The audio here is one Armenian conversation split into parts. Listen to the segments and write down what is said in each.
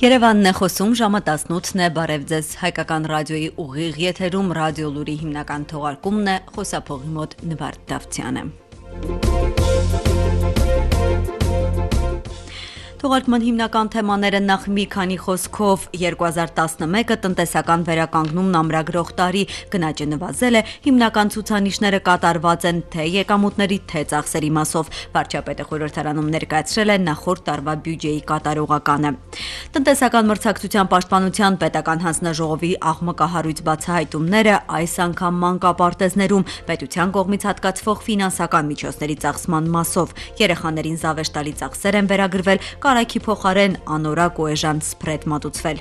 Երևանն է խոսում, ժամը 18-ն է, բարև ձեզ, հայկական ռադիոյի ուղիղ եթերում ռադիո լուրի հիմնական թողարկումն է, խոսափողի մոտ Նվարդ Դավթյանը։ Թողարկման հիմնական թեմաները նախ մի քանի խոսքով 2011-ը տնտեսական վերականգնումն ամրագրող տարի, գնաճը նվազել է, հիմնական ցուցանիշները կատարված են թե եկամուտների, թե ծախսերի մասով, վարչապետը խորհրդարանում ներկայացրել է նախորդ տարվա բյուջեի կատարողականը։ Տնտեսական մրցակցության պաշտպանության պետական հանձնաժողովի աղմկահարույց բացահայտումները այս անգամ մանկապարտեզներում պետության կողմից հատկացվող ֆինանսական միջոցների ծախսման մասով, երեխաներին զավեշտալի ծախսեր են վերագրվել, կարագի փոխարեն անորակ ու էժան սփրեդ մատուցվել։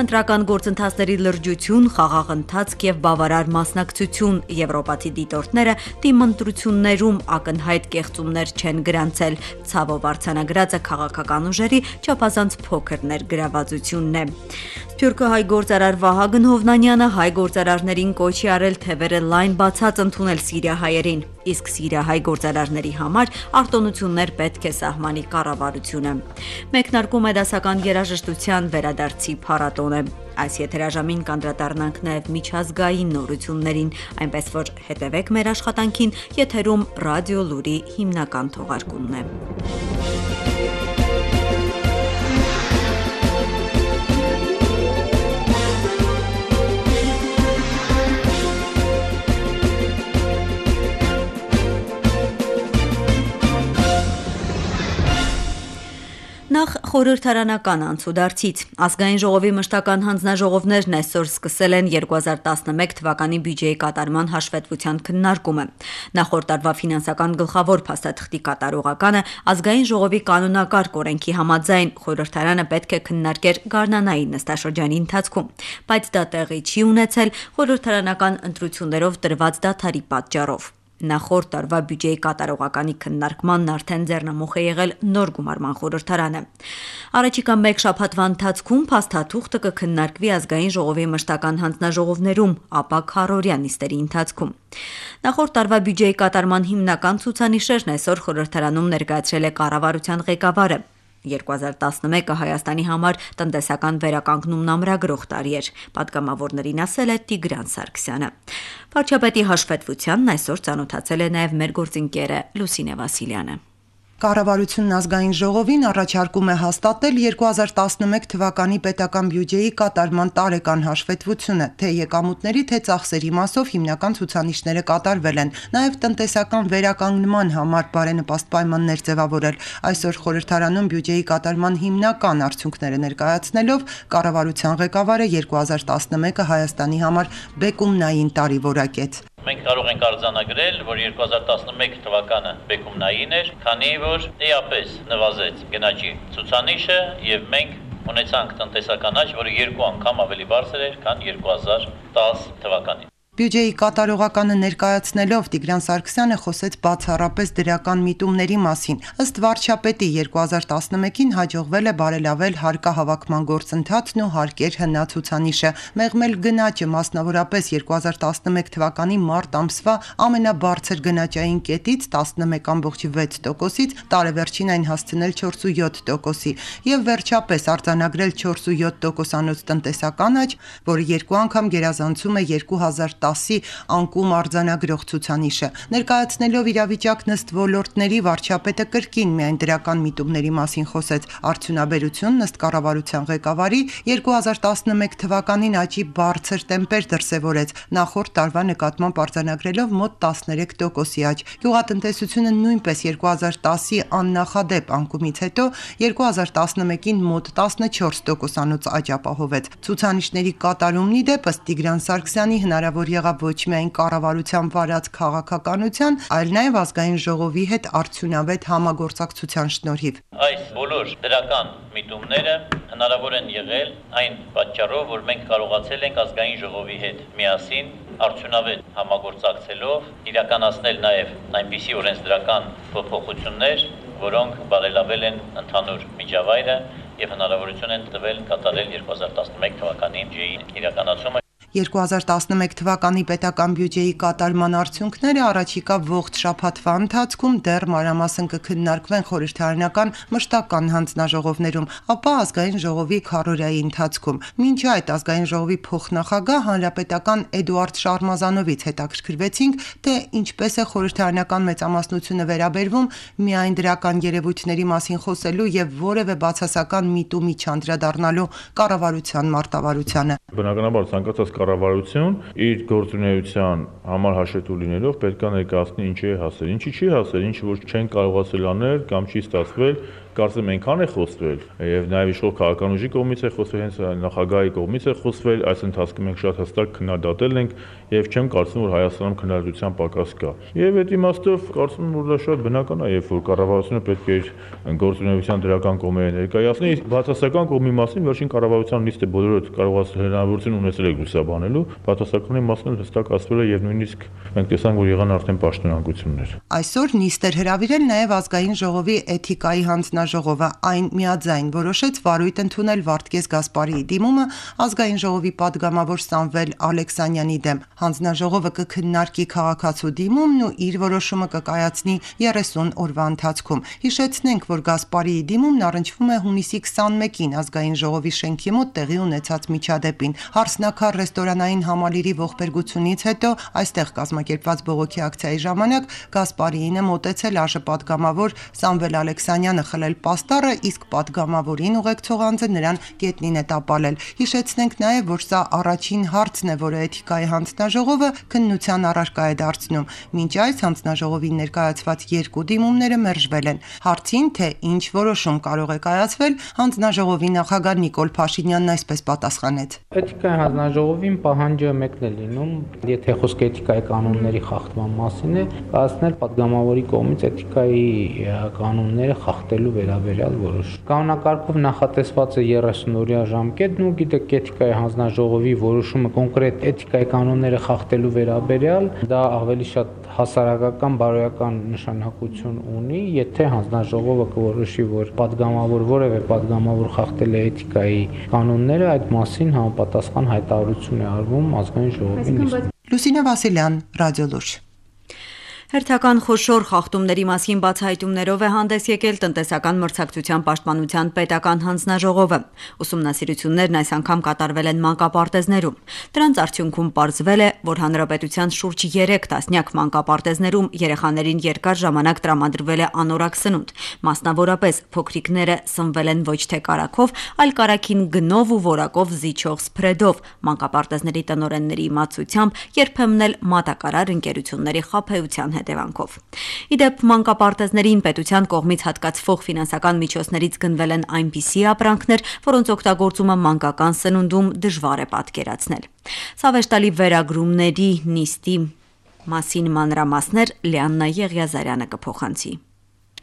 Ընտրական գործընթացների լրջություն, խաղաղ ընթացք եւ բավարար մասնակցություն եվրոպացի դիտորդները դիմընտրություններում ակնհայտ կեղծումներ չեն գրանցել, ցավով արձանագրածը քաղաքական ուժերի չափազանց փոքր ներգրավվածությունն է։ Սփյուռքը հայ գործարար Վահագն Հովնանյանը հայ գործարարներին կոչի արել թևերը լայն բացած ընդունել սիրիահայերին, իսկ սիրիահայ գործարարների համար արտոնություններ պետք է սահմանի կառավարությունը։ Մեկնարկում է դասական երաժշտության վերադարձի փառատոնը։ Այս եթերաժամին կանդրադառնանք նաև միջազգային նորություններին, այնպես որ հետևեք մեր աշխատանքին, եթերում ռադիո լուրի հիմնական թողարկումն է։ Նախ խորհրդարանական անցուդարձից։ Ազգային ժողովի մշտական հանձնաժողովներն այսօր սկսել են 2011 թվականի բյուջեի կատարման հաշվետվության քննարկումը։ Նախորդ տարվա ֆինանսական գլխավոր փաստաթղթի կատարողականը ազգային ժողովի կանոնակարգ օրենքի համաձայն խորհրդարանը պետք է քննարկեր գարնանային նստաշրջանի ընթացքում, բայց դա տեղի չի ունեցել խորհրդարանական ընտրություններով տրված դադարի պատճառով։ Նախորդ տարվա բյուջեի կատարողականի քննարկմանն արդեն ձեռնամուխ է եղել նոր գումարման խորհրդարանը։ Առաջիկա մեկ շաբաթվա ընթացքում փաստաթուղթը կքննարկվի ազգային ժողովի մշտական հանձնաժողովներում, ապա քառօրյա նիստերի ընթացքում։ Նախորդ տարվա բյուջեի կատարման հիմնական ցուցանիշերն այսօր խորհրդարանում ներկայացրել է կառավարության ղեկավարը։ 2011-ը Հայաստանի համար տնտեսական վերականգնումն ամրագրող տարի էր, պատգամավորներին ասել է Տիգրան Սարգսյանը։ Վարչապետի հաշվետվությանն այսօր ծանոթացել է նաև մեր գործընկերը Լուսինե Վասիլյանը։ Կառավարությունն ազգային ժողովին առաջարկում է հաստատել 2011 թվականի պետական բյուջեի կատարման տարեկան հաշվետվությունը, թե եկամուտների, թե ծախսերի մասով հիմնական ցուցանիշները կատարվել են, նաև տնտեսական վերականգնման համար բարենպաստ պայմաններ ձևավորել։ Այսօր խորհրդարանում բյուջեի կատարման հիմնական արդյունքները ներկայացնելով կառավարության ղեկավարը 2011-ը Հայաստանի համար բեկումնային տարի որակեց։ Մենք կարող ենք արձանագրել, որ 2011 թվականը բեկումնային էր, քանի որ էապես նվազեց գնաճի ցուցանիշը եւ մենք ունեցանք տնտեսական աճ, որը 2 անգամ ավելի բարձր էր, քան 2010 թվականին։ Բյուջեի կատարողականը ներկայացնելով Տիգրան Սարգսյանը խոսեց բացառապես դրական միտումների մասին։ Ըստ վարչապետի 2011-ին հաջողվել է բարելավել հարկահավաքման գործընթացն ու հարկեր հնացուցանիշը, մեղմել գնաճը մասնավորապես 2011 թվականի մարտ ամսվա ամենաբարձր գնաճային կետից 11.6%-ից տարեվերջին այն հասցնել 4.7%-ի եւ վերջապես արձանագրել 4.7%-անոց տնտեսական աճ, որը 2 անգամ գերազանցում է 2010-ի անկում արձանագրող ցուցանիշը։ Ներկայացնելով իրավիճակն ըստ ոլորտների վարչապետը կրկին միայն դրական միտումների մասին խոսեց։ Արդյունաբերությունն ըստ կառավարության ղեկավարի 2011 թվականին աճի բարձր տեմպեր դրսևորեց, նախորդ տարվա նկատմամբ արձանագրելով մոտ 13%-ի աճ։ Գյուղատնտեսությունը նույնպես 2010-ի աննախադեպ անկումից հետո 2011-ին մոտ 14%-անոց աճ ապահովեց։ Ցուցանիշների կատարումն ի դեպ ըստ Տիգրան Սարգսյանի հնարավոր եղավ ոչ միայն կառավարության վարած քաղաքականության, այլ նաև ազգային ժողովի հետ արդյունավետ համագործակցության շնորհիվ։ Այս բոլոր դրական միտումները հնարավոր են եղել այն պատճառով, որ մենք կարողացել ենք ազգային ժողովի հետ միասին արդյունավետ համագործակցելով իրականացնել նաև այնպիսի օրենսդրական փոփոխություններ, որոնք բարելավել են ընդհանուր միջավայրը եւ հնարավորություն են տվել կատարել 2011 թվականի բյուջեի իրականացումը։ 2011 թվականի պետական բյուջեի կատարման արդյունքները առաջիկա ողջ շաբաթվա ընթացքում դեռ մանրամասն կքննարկվեն խորհրդարանական մշտական հանձնաժողովներում, ապա ազգային ժողովի քառօրյայի ընթացքում։ Մինչ այդ ազգային ժողովի փոխնախագահ հանրապետական Էդուարդ Շարմազանովից հետաքրքրվեցինք, թե ինչպես է խորհրդարանական մեծամասնությունը վերաբերվում միայն դրական երևույթների մասին խոսելու եւ որևէ բացասական միտումի չանդրադառնալու կառավարության մարտավարությանը։ Բնականաբար ցանկացած կառավարություն իր գործունեության համար հաշվետու լինելով պետք է ներկայացնի ինչի է հասել, ինչի չի հասել, ինչ որ չեն կարողացել անել կամ չի ստացվել, կարծեմ այնքան է խոսվել եւ նաեւ իշխող քաղաքական ուժի կողմից է խոսվել, հենց նախագահի կողմից է խոսվել, այս ընթացքում մենք շատ հստակ քննադատել ենք եւ չեմ կարծում որ Հայաստանում քննադատության պակաս կա։ Եվ այդ իմաստով կարծում եմ որ դա շատ բնական է, երբ որ կառավարությունը պետք է իր գործունեության դրական կողմերը ներկայացնի, բացասական կողմի մասին վերջին կառավարության նիստը բոլորը կարողացել հնարավորություն ունեցել է լուսաբանելու, բացասականի մասին հստակ ասվել է եւ նույնիսկ մենք տեսանք որ եղան արդեն պաշտոնանկություններ։ Այսօր նիստ էր հրավիրել նաեւ ազգային ժողովի էթիկայի հանձնաժողովը, այն միաձայն որոշեց վարույթ ընդունել Վարդգես Գասպարիի դիմումը ազգային ժողովի падգամավոր Սամվել Ալեքսանյանի դեմ։ Հանձնաժողովը կքննարկի քաղաքացու դիմումն ու իր որոշումը կկայացնի 30 օրվա ընթացքում։ Հիշեցնենք, որ Գասպարիի դիմումն առնչվում է հունիսի 21-ին ազգային ժողովի շենքի մոտ տեղի ունեցած միջադեպին։ Հարսնաքար ռեստորանային համալիրի ողբերգությունից հետո այստեղ կազմակերպված բողոքի ակցիայի ժամանակ Գասպարիին է մոտեցել ԱԺ падգամավոր Սամվել Ալեքսանյանը խլել պաստառը, իսկ падգամավորին ուղեկցող անձը նրան գետնին է տապալել։ Հիշեցնենք նաև, որ սա առաջին հարցն է, որը էթիկայի հանձնաժողովը քննության առարկա է դարձնում։ Մինչ այս հանձնաժողովին ներկայացված երկու դիմումները մերժվել են։ Հարցին, թե ինչ որոշում կարող է կայացվել, հանձնաժողովի նախագահ Նիկոլ Փաշինյանն այսպես պատասխանեց. Էթիկայի հանձնաժողովին պահանջը մեկն է լինում, եթե խոսքը էթիկայի կանոնների խախտման մասին է, կայացնել падգամավորի կողմից էթիկայի կանոնները խախտելու վերաբերյալ որոշում։ Կանոնակարգով նախատեսված է 30-օրյա ժամկետն ու գիտեք էթիկայի հանձնաժողովի որոշումը կոնկրետ էթիկայի կանոնները խախտելու վերաբերյալ դա ավելի շատ հասարակական բարոյական նշանակություն ունի, եթե հանձնաժողովը կորոշի, որ падգամավոր որևէ падգամավոր խախտել է էթիկայի կանոնները, այդ մասին համապատասխան հայտարարություն է արվում ազգային ժողովի նիստում։ Լուսինե Վասիլյան, Ռադիոլուր։ Հերթական խոշոր խախտումների մասին բացահայտումներով է հանդես եկել տնտեսական մրցակցության պաշտպանության պետական հանձնաժողովը։ Ուսումնասիրություններն այս անգամ կատարվել են մանկապարտեզներում։ Դրանց արդյունքում պարզվել է, որ հանրապետության շուրջ 3 տասնյակ մանկապարտեզներում երեխաներին երկար ժամանակ տրամադրվել է անորակ սնունդ։ Մասնավորապես փոքրիկները սնվել են ոչ թե կարագով, այլ կարագին գնով ու որակով զիջող սփրեդով։ Մանկապարտեզների տնօրենների իմացությամբ երբեմն էլ մատակարար ընկերությունների խաբեության հետևանքով։ Իդեպ մանկապարտեզներին պետության կողմից հատկացվող ֆինանսական միջոցներից գնվել են այնպիսի ապրանքներ, որոնց օգտագործումը մանկական սնունդում դժվար է պատկերացնել։ Սավեշտալի վերագրումների նիստի մասին մանրամասներ Լիաննա Եղիազարյանը կփոխանցի։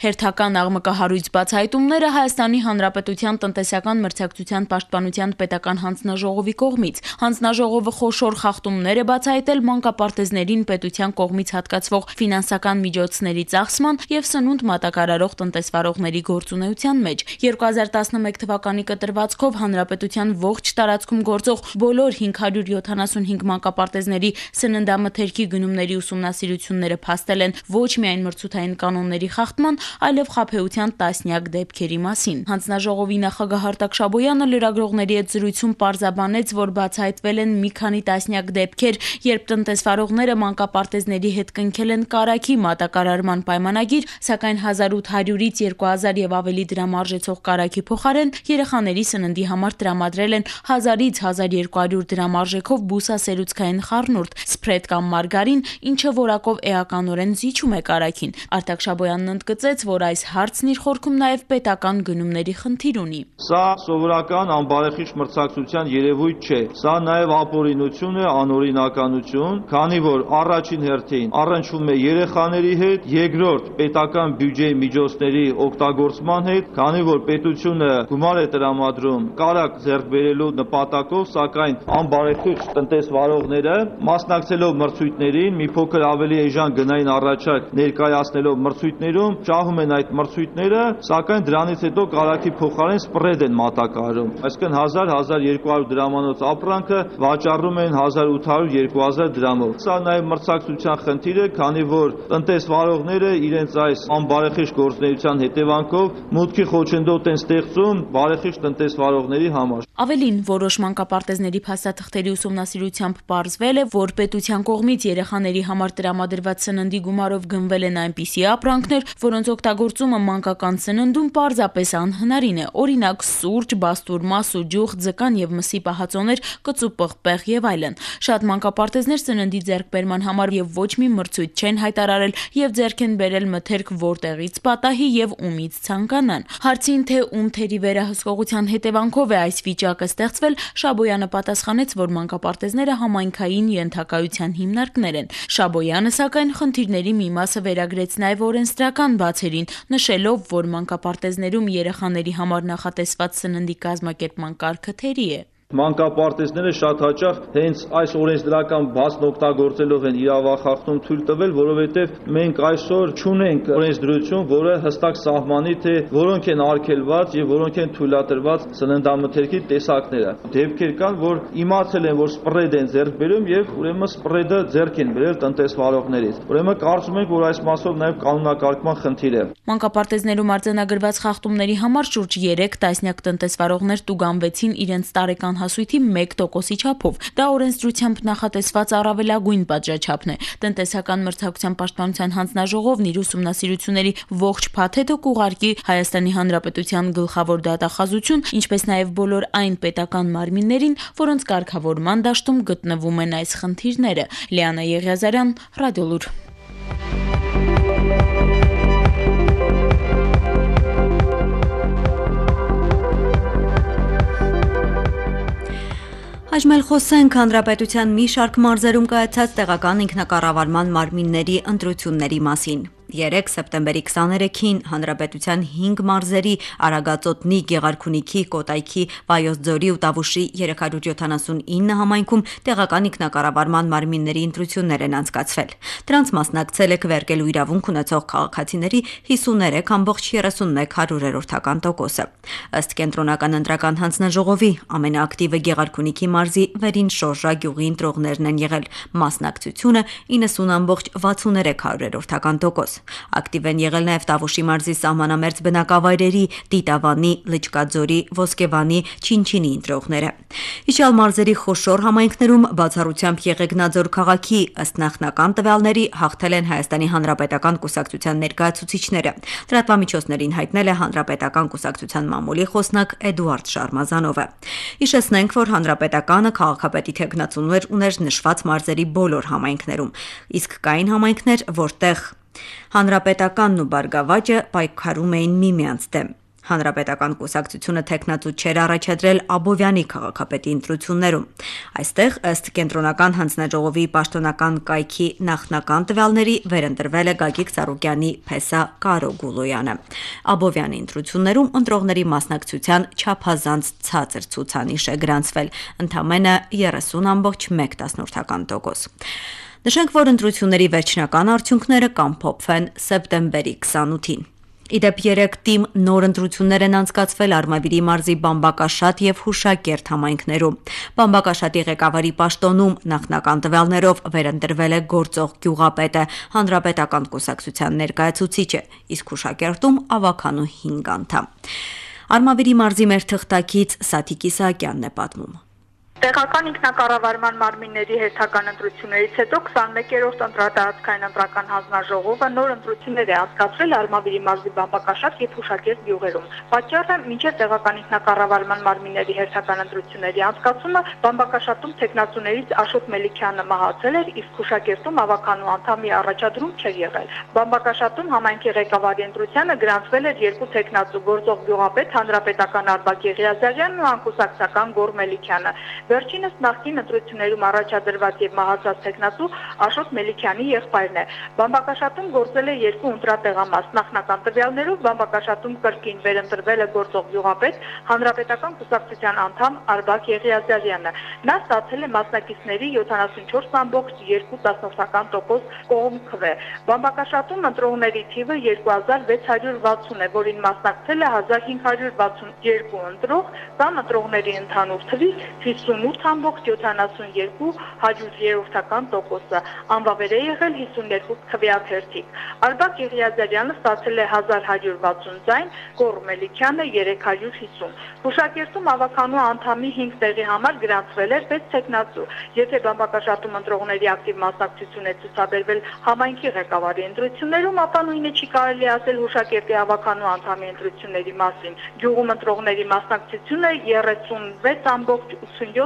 Հերթական աղմկահարույց բացահայտումները Հայաստանի Հանրապետության տնտեսական մրցակցության պաշտպանության պետական հանձնաժողովի կողմից։ Հանձնաժողովը խոշոր խախտումներ է բացահայտել մանկապարտեզներին պետության կողմից հատկացվող ֆինանսական միջոցների ծախսման եւ սնունդ մատակարարող տնտեսվարողների գործունեության մեջ։ 2011 թվականի կտրվածքով հանրապետության ողջ տարածքում գործող բոլոր 575 մանկապարտեզների սննդամթերքի գնումների ուսումնասիրությունները փաստել են ոչ միայն մրցութային կանոնների խախտման, այլև խաբեության տասնյակ դեպքերի մասին։ Հանձնաժողովի նախագահ Արտակ Շաբոյանը լրագրողների հետ զրույցում պարզաբանեց, որ բացահայտվել են մի քանի տասնյակ դեպքեր, երբ տնտեսվարողները մանկապարտեզների հետ կնքել են կարագի մատակարարման պայմանագիր, սակայն 1800-ից 2000 եւ ավելի դրամ արժեցող կարագի փոխարեն երեխաների սննդի համար տրամադրել են 1000-ից 1200 դրամ արժեքով բուսասերուցքային խառնուրդ, սփրեդ կամ մարգարին, ինչը որակով էականորեն զիջում է կարագին։ Արտակ Շաբոյանն ընդգծեց, որ այս հարցն իր խորքում նաև պետական գնումների խնդիր ունի։ Սա սովորական անբարեխիղճ մրցակցության երևույթ չէ։ Սա նաև ապօրինություն է, անօրինականություն, քանի որ առաջին հերթին առնչվում է երեխաների հետ, երկրորդ պետական բյուջեի միջոցների օգտագործման հետ, քանի որ պետությունը գումար է տրամադրում կարագ ձեռք բերելու նպատակով, սակայն անբարեխիղճ տնտեսվարողները մասնակցելով մրցույթներին, մի փոքր ավելի էժան գնային առաջարկ ներկայացնելով մրցույթներում շահում պահում են այդ մրցույթները, սակայն դրանից հետո կարագի փոխարեն սպրեդ են մատակարարում։ Այսինքն 1000-1200 դրամանոց ապրանքը վաճառում են 1800-2000 դրամով։ Սա նաև մրցակցության խնդիր է, քանի որ տնտեսվարողները իրենց այս անբարեխիղճ գործունեության հետևանքով մուտքի խոչընդոտ են ստեղծում բարեխիղճ տնտեսվարողների համար։ Ավելին, որոշ մանկապարտեզների փաստաթղթերի ուսումնասիրությամբ պարզվել է, որ պետության կողմից երեխաների համար տրամադրված սննդի գումարով գնվել են այնպիսի ապրանքներ, որոնց օգտագործումը մանկական սննդում պարզապես անհնարին է։ Օրինակ՝ սուրճ, բաստուրմա, սուջուխ, ձկան եւ մսի պահածոներ, կծու պղպեղ եւ այլն։ Շատ մանկապարտեզներ սննդի ձեռքբերման համար եւ ոչ մի մրցույթ չեն հայտարարել եւ ձեռք են բերել մթերք որտեղից պատահի եւ ումից ցանկանան։ Հարցին, թե ում թերի վերահսկողության հետևանքով է այս վիճակը ստեղծվել, Շաբոյանը պատասխանեց, որ մանկապարտեզները համայնքային ենթակայության հիմնարկներ են։ Շաբոյանը, սակայն, խնդիրների մի մասը վերագրեց նաև օրենսդրական բացերին, նշելով, որ մանկապարտեզներում երեխաների համար նախատեսված սննդի կազմակերպման կարգը թերի է։ Մանկապարտեզները շատ հաճախ հենց այս օրենսդրական բացն օգտագործելով են իրավախախտում թույլ տվել, որովհետև մենք այսօր չունենք օրենսդրություն, որը հստակ սահմանի, թե որոնք են արգելված եւ որոնք են թույլատրված սննդամթերքի տեսակները։ Դեպքեր կան, որ իմացել են, որ սպրեդ են ձեռք բերում եւ ուրեմն սպրեդը ձեռք են բերել տնտեսվարողներից։ Ուրեմն կարծում ենք, որ այս մասով նաեւ կանոնակարգման խնդիր է։ Մանկապարտեզներում արձանագրված խախտումների համար շուրջ 3 տասնյակ տնտեսվարողներ տուգանվեցին իրենց տարեկան հասույթի 1%-ի չափով։ Դա օրենսդրությամբ նախատեսված առավելագույն պատժաչափն է։ Տնտեսական մրցակցության պաշտպանության հանձնաժողովն իր ուսումնասիրությունների ողջ փաթեթը կուղարկի Հայաստանի Հանրապետության գլխավոր դատախազություն, ինչպես նաև բոլոր այն պետական մարմիններին, որոնց կարգավորման դաշտում գտնվում են այս խնդիրները։ Լիանա Եղիազարյան, Ռադիոլուր։ Այժմ խոսենք հանրապետության մի շարք մարզերում կայացած տեղական ինքնակառավարման մարմինների ընտրությունների մասին։ 3 սեպտեմբերի 23-ին հանրապետության 5 մարզերի Արագածոտնի, Գեղարքունիքի, Կոտայքի, Վայոց ձորի ու Տավուշի 379 համայնքում տեղական ինքնակառավարման մարմինների ընտրություններ են անցկացվել։ Դրանց մասնակցել է քվեարկելու իրավունք ունեցող քաղաքացիների 53,31%-ը։ Ըստ կենտրոնական ընտրական հանձնաժողովի ամենաակտիվը Գեղարքունիքի մարզի Վերին Շորժա գյուղի ընտրողներն են եղել, մասնակցությունը 90,63%։ Ակտիվ են եղել նաև Տավուշի մարզի սահմանամերձ բնակավայրերի Տիտավանի, Լճկաձորի, Ոսկեվանի, Չինչինի ընտրողները։ Իջյալ մարզերի խոշոր համայնքներում բացառությամբ Եղեգնաձոր քաղաքի ըստ նախնական տվյալների հաղթել են Հայաստանի Հանրապետական կուսակցության ներկայացուցիչները։ Լրատվամիջոցներին հայտնել է Հանրապետական կուսակցության մամուլի խոսնակ Էդուարդ Շարմազանովը։ Հիշեցնենք, որ Հանրապետականը քաղաքապետի թեկնածուներ ուներ նշված մարզերի բոլոր համայնքներում, իսկ կային համայնքներ, որտեղ Հանրապետականն ու Բարգավաճը պայքարում էին միմյանց դեմ։ Հանրապետական կուսակցությունը թեկնածու չէր առաջադրել Աբովյանի քաղաքապետի ընտրություններում։ Այստեղ, ըստ կենտրոնական հանձնաժողովի պաշտոնական կայքի նախնական տվյալների, վերընտրվել է Գագիկ Ծառուկյանի փեսա Կարո Գուլոյանը։ Աբովյանի ընտրություններում ընտրողների մասնակցության չափազանց ցածր ցուցանիշ է գրանցվել, ընդամենը 30,1%։ Նշենք, որ ընտրությունների վերջնական արդյունքները կամփոփվեն սեպտեմբերի 28-ին։ Իդեպ 3 թիմ նոր ընտրություններ են անցկացվել Արմավիրի մարզի Բամբակաշատ եւ Հուշակերտ համայնքներում։ Բամբակաշատի ղեկավարի պաշտոնում նախնական տվյալներով վերընտրվել է գործող գյուղապետը, հանրապետական կուսակցության ներկայացուցիչը, իսկ Հուշակերտում ավականու 5 անդամ։ Արմավիրի մարզի մեր թղթակից Սաթիկ Իսահակյանն է պատմում։ Տեղական ինքնակառավարման մարմինների հերթական ընտրություններից հետո 21-րդ ընտրատարածքային ընտրական հանձնաժողովը նոր ընտրություններ է անցկացրել Արմավիրի մարզի Բամբակաշատ եւ Հուշակերտ գյուղերում։ Պատճառը մինչև տեղական ինքնակառավարման մարմինների հերթական ընտրությունների անցկացումը Բամբակաշատում տեխնացուներից Աշոտ Մելիքյանը մահացել էր, իսկ Հուշակերտում ավականու անդամի առաջադրում չէր եղել։ Բամբակաշատում համայնքի ղեկավարի ընտրությանը գրանցվել էր 2 տեխնացու՝ գործող գյուղապետ հանրապետական Արբակ Եղիազարյանն ու անկուսակցական Գոր Մելիքյանը։ Վերջինս նախկին ընտրություններում առաջադրված եւ մահացած տեխնատու Աշոտ Մելիքյանի եղբայրն է։ Բամբակաշատում գործել է 2 ընտրատեղամաս։ Նախնական տվյալներով բամբակաշատում կրկին վերընտրվել է գործող գյուղապետ, հանրապետական կուսակցության անդամ Արբակ Եղիազարյանը։ Նա ստացել է մասնակիցների 74.2% կողմ քվե։ Բամբակաշատում ընտրողների թիվը 2660 է, որին մասնակցել է 1562 ընտրող, կամ ընտրողների ընդհանուր թվի 58.72%, անվավեր է եղել 52 քվեաթերթիկ։ Արբակ Եղիազարյանը ստացել է 1160 ձայն, Գոռ Մելիքյանը 350։ Հուշակերտում ավականու անդամի 5 տեղի համար գրանցվել էր 6 տեխնատու։ Եթե բամբակաշատում ընտրողների ակտիվ մասնակցություն է ցուցաբերվել համայնքի ղեկավարի ընտրություններում, ապա նույնը չի կարելի ասել Հուշակերտի ավականու անդամի ընտրությունների մասին։ Գյուղում ընտրողների մասնակցությունը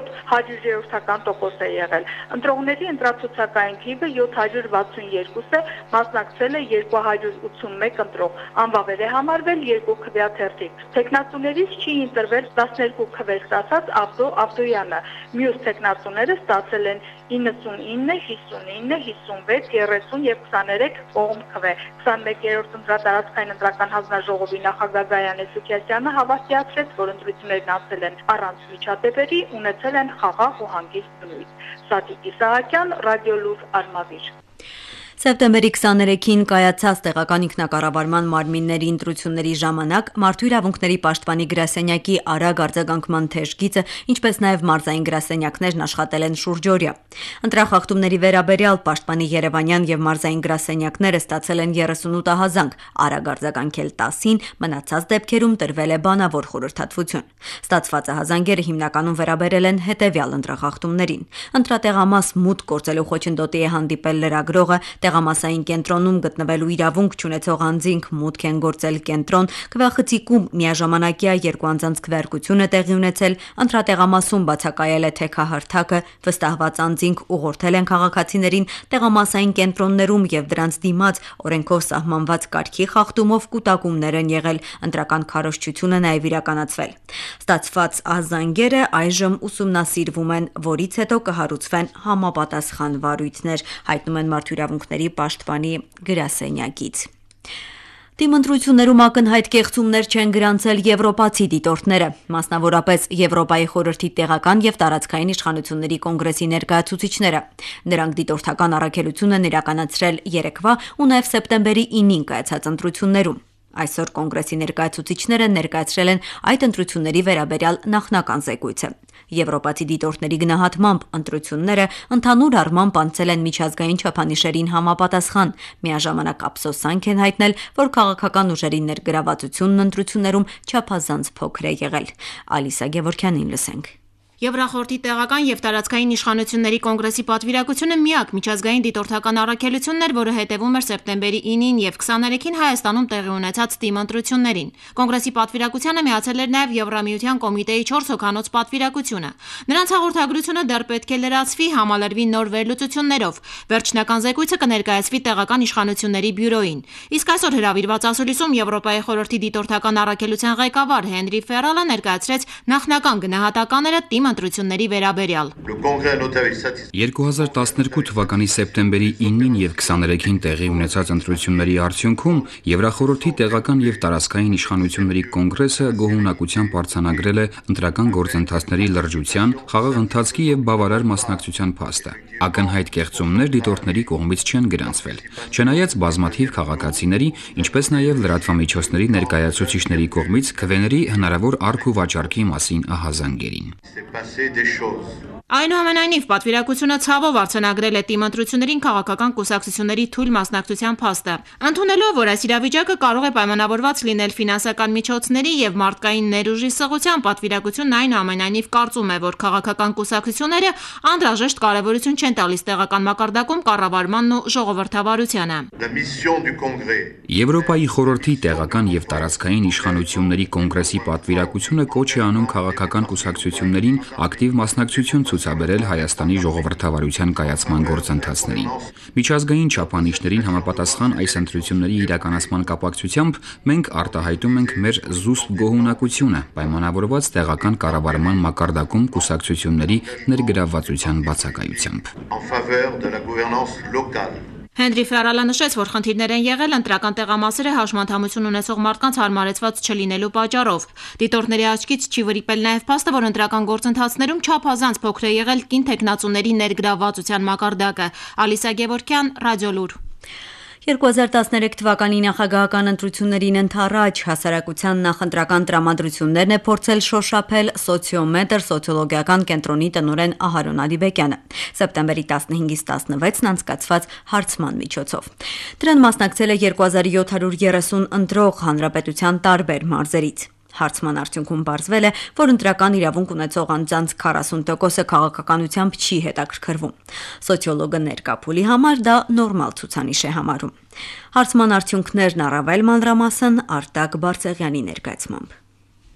36.87% է եղել։ Ընտրողների ընտրացուցակային թիվը 762 է, մասնակցել է 281 ընտրող, անվավեր է համարվել 2 քվեաթերթիկ։ Տեխնատուներից չի ընտրվել 12 քվե ստացած Աբդո Աբդոյանը, մյուս տեխնատուները ստացել են 99, 59, 56, 30 եւ 23 կողմ քվե։ 21-րդ ընտրատարածքային ընտրական հանձնաժողովի նախագահ Գայանե Սուքիասյանը հավաստիացրեց, որ ընտրություններն անցել են առանց միջադեպերի, ունեցել են խաղաղ ու հանգիստ բնույթ։ Սատիկ Իսահակյան, Ռադիոլուր, Արմավիր։ Սեպտեմբերի 23-ին կայացած տեղական ինքնակառավարման մարմինների ընտրությունների ժամանակ Մարդու իրավունքների պաշտպանի գրասենյակի արագ արձագանքման թեժ գիծը, ինչպես նաև մարզային գրասենյակներն աշխատել են շուրջօրյա։ Ընտրախախտումների վերաբերյալ պաշտպանի երևանյան եւ մարզային գրասենյակները ստացել են 38 ահազանգ, արագ արձագանքել 10-ին, մնացած դեպքերում տրվել է բանավոր խորհրդատվություն։ Ստացված ահազանգերը հիմնականում վերաբերել են հետևյալ ընտրախախտումներին։ Ընտրատեղամաս մուտք գործելու խոչընդոտի է հանդիպել լրագրողը, տեղամասային կենտրոնում գտնվելու իրավունք չունեցող անձինք մուտք են գործել կենտրոն, քվեախցիկում միաժամանակյա 2 անձանց քվեարկություն է տեղի ունեցել, ընտրատեղամասում բացակայել է թեքահարթակը, վստահված անձինք ուղղորդել են քաղաքացիներին տեղամասային կենտրոններում եւ դրանց դիմաց օրենքով սահմանված կարգի խախտումով կուտակումներ են եղել, ընտրական քարոզչությունը նաեւ իրականացվել։ Ստացված ահազանգերը այժմ ուսումնասիրվում են, որից հետո կհարուցվեն համապատասխան վարույթներ, հայտնում են Մարդու իրավունքների պաշտպանի գրասենյակից։ Դիմընտրություններում ակնհայտ կեղծումներ չեն գրանցել եվրոպացի դիտորդները, մասնավորապես Եվրոպայի խորհրդի տեղական եւ տարածքային իշխանությունների կոնգրեսի ներկայացուցիչները։ Նրանք դիտորդական առաքելություն են իրականացրել երեկվա ու նաեւ սեպտեմբերի 9-ին կայացած ընտրություններում։ Այսօր կոնգրեսի ներկայացուցիչները ներկայացրել են այդ ընտրությունների վերաբերյալ նախնական զեկույցը։ Եվրոպացի դիտորդների գնահատմամբ ընտրությունները ընդհանուր առմամբ անցել են միջազգային չափանիշերին համապատասխան, միաժամանակ ափսոսանք են հայտնել, որ քաղաքական ուժերի ներգրավվածությունն ընտրություններում չափազանց փոքր է եղել։ Ալիսա Գևորքյանին լսենք։ Եվրախորհրդի տեղական եւ տարածքային իշխանությունների կոնգրեսի պատվիրակությունը միակ միջազգային դիտորդական առաքելությունն էր, որը հետևում էր սեպտեմբերի 9-ին եւ 23-ին Հայաստանում տեղի ունեցած դիմընտրություններին։ Կոնգրեսի պատվիրակությանը միացել էր նաեւ Եվրամիության կոմիտեի 4 հոգանոց պատվիրակությունը։ Նրանց հաղորդագրությունը դեռ պետք է լրացվի, համալրվի նոր վերլուծություններով։ Վերջնական զեկույցը կներկայացվի տեղական իշխանությունների բյուրոին։ Իսկ այսօր հրավիրված ասուլիսում Եվրոպայի խորհրդի դիտորդական առաքելության ղեկավար Հենրի Ֆերալը ներկայացրեց նախնական գնահատականները ընտրությունների վերաբերյալ։ 2012 թվականի սեպտեմբերի 9-ին եւ 23-ին տեղի ունեցած ընտրությունների արդյունքում Եվրախորհրդի տեղական եւ տարածքային իշխանությունների կոնգրեսը գոհունակությամբ արձանագրել է ընտրական գործընթացների լրջության, խաղաղ ընթացքի եւ բավարար մասնակցության փաստը։ Ակնհայտ կեղծումներ դիտորդների կողմից չեն գրանցվել, չնայած բազմաթիվ քաղաքացիների, ինչպես նաեւ լրատվամիջոցների ներկայացուցիչների կողմից քվեների հնարավոր առք ու վաճառքի մասին ահազանգերին։ Այնուամենայնիվ, պատվիրակությունը ցավով արձանագրել է դիմընտրություններին քաղաքական կուսակցությունների թույլ մասնակցության փաստը, ընդունելով, որ այս իրավիճակը կարող է պայմանավորված լինել ֆինանսական միջոցների եւ մարդկային ներուժի սղության, պատվիրակությունն այնուամենայնիվ կարծում է, որ քաղաքական կուսակցությունները անհրաժեշտ կարեւորություն չեն տալիս տեղական մակարդակում կառավարմանն ու ժողովրդավարությանը։ Եվրոպայի խորհրդի տեղական եւ տարածքային իշխանությունների կոնգրեսի պատվիրակությունը կոչ է անում քաղաքական կուսակցություններին ակտիվ մասնակցություն ցուցաբերել Հայաստանի ժողովրդավարության կայացման գործընթացներին։ Միջազգային չափանիշներին համապատասխան այս ընտրությունների իրականացման կապակցությամբ մենք արտահայտում ենք մեր զուսպ գոհունակությունը, պայմանավորված տեղական կառավարման մակարդակում կուսակցությունների ներգրավվածության բացակայությամբ։ Հենրի Ֆերալը նշեց, որ խնդիրներ են եղել ընտրական տեղամասերը հաշմանդամություն ունեցող մարդկանց հարմարեցված չլինելու պատճառով։ Դիտորդների աչքից չի վրիպել նաև փաստը, որ ընտրական գործընթացներում չափազանց փոքր է եղել կին թեկնածուների ներգրավվածության մակարդակը։ Ալիսա Գևորգյան, Ռադիոլուր։ 2013 թվականի նախագահական ընտրություններին ընդառաջ հասարակության նախընտրական տրամադրություններն է փորձել շոշափել սոցիոմետր սոցիոլոգիական կենտրոնի տնօրեն Ահարոն Ադիբեկյանը սեպտեմբերի 15-ից 16-ն անցկացված հարցման միջոցով։ Դրան մասնակցել է 2730 ընտրող հանրապետության տարբեր մարզերից։ Հարցման արդյունքում պարզվել է, որ ընտրական իրավունք ունեցող անձանց 40%-ը քաղաքականությամբ չի հետաքրքրվում։ Սոցիոլոգը ներկա փուլի համար դա նորմալ ցուցանիշ է համարում։ Հարցման արդյունքներն առավել մանրամասն Արտակ Բարսեղյանի ներկայացմամբ։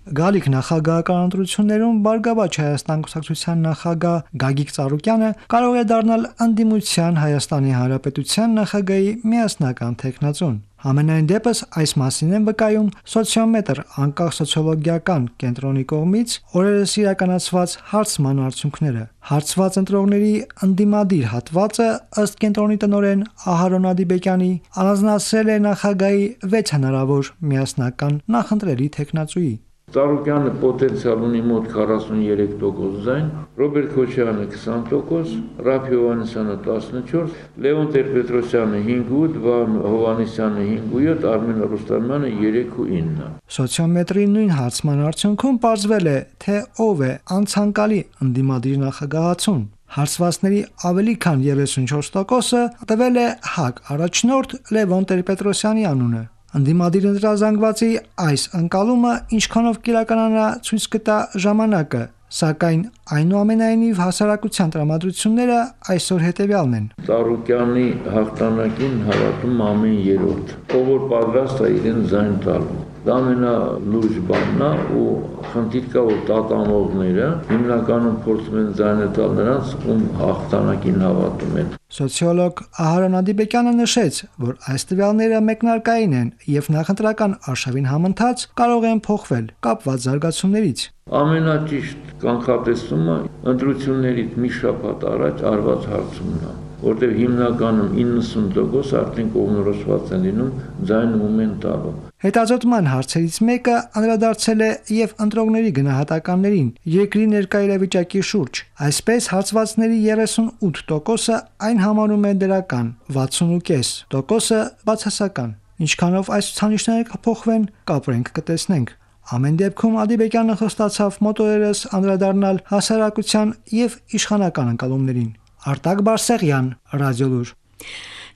Գալիք նախագահական ընտրություններում Բարգավաճ Հայաստան կուսակցության նախագահ Գագիկ Ծառուկյանը կարող է դառնալ ընդդիմության Հայաստանի Հանրապետության նախագահի միասնական թեկնածուն։ Համենայն դեպս այս մասին են վկայում սոցիոմետր անկախ սոցիոլոգիական կենտրոնի կողմից օրերս իրականացված հարցման արդյունքները։ Հարցված ընտրողների ընդդիմադիր հատվածը ըստ կենտրոնի տնօրեն Ահարոն Ադիբեկյանի առանձնացրել է նախագահի 6 հնարավոր միասնական նախընտրելի թեկնածուի։ Ծառուկյանը պոտենցիալ ունի մոտ 43% ձայն, Ռոբերտ Քոչարյանը 20%, Ռաֆ Հովհաննիսյանը 14%, Լևոն Տեր-Պետրոսյանը 5.8%, Վահան Հովհաննիսյանը 5.7%, Արմեն Ռուստամյանը 3.9%։ Սոցիոմետրի նույն հարցման արդյունքում պարզվել է, թե ով է անցանկալի ընդդիմադիր նախագահացուն։ Հարցվածների ավելի քան 34%-ը տվել է ՀԱԿ առաջնորդ Լևոն Տեր-Պետրոսյանի անունը։ Ընդդիմադիր ընտրազանգվածի այս ընկալումը ինչքանով կիրականանա ցույց կտա ժամանակը, սակայն այնուամենայնիվ հասարակության տրամադրությունները այսօր հետևյալն են։ Ծառուկյանի հաղթանակին հավատում ամեն երրորդ, ով որ պատրաստ է իրեն ձայն տալու։ Դա ամենալուրջ բանն է ու խնդիր կա, որ տատանողները հիմնականում փորձում են ձայնը տալ նրանց, ում հաղթանակին հավատում են։ Սոցիոլոգ Ահարոն Ադիբեկյանը նշեց, որ այս տվյալները մեկնարկային են եւ նախընտրական արշավին համընթաց կարող են փոխվել կապված զարգացումներից։ Ամենաճիշտ կանխատեսումը ընտրություններից մի շաբաթ առաջ արված հարցումն է, որտեղ հիմնականում 90% արդեն կողմնորոշված են լինում ձայնում են տալու։ Հետազոտման հարցերից մեկը անդրադարձել է եւ ընտրողների գնահատականներին երկրի ներկայ իրավիճակի շուրջ։ Այսպես հարցվածների 38%-ը այն համարում է դրական, 60.5%-ը բացասական։ Ինչքանով այս ցուցանիշները կփոխվեն, կապրենք կտեսնենք։ Ամեն դեպքում Ադիբեկյանը խոստացավ մոտորերս անդրադառնալ հասարակության եւ իշխանական ընկալումներին։ Արտակ Բարսեղյան, Ռադիոլուր։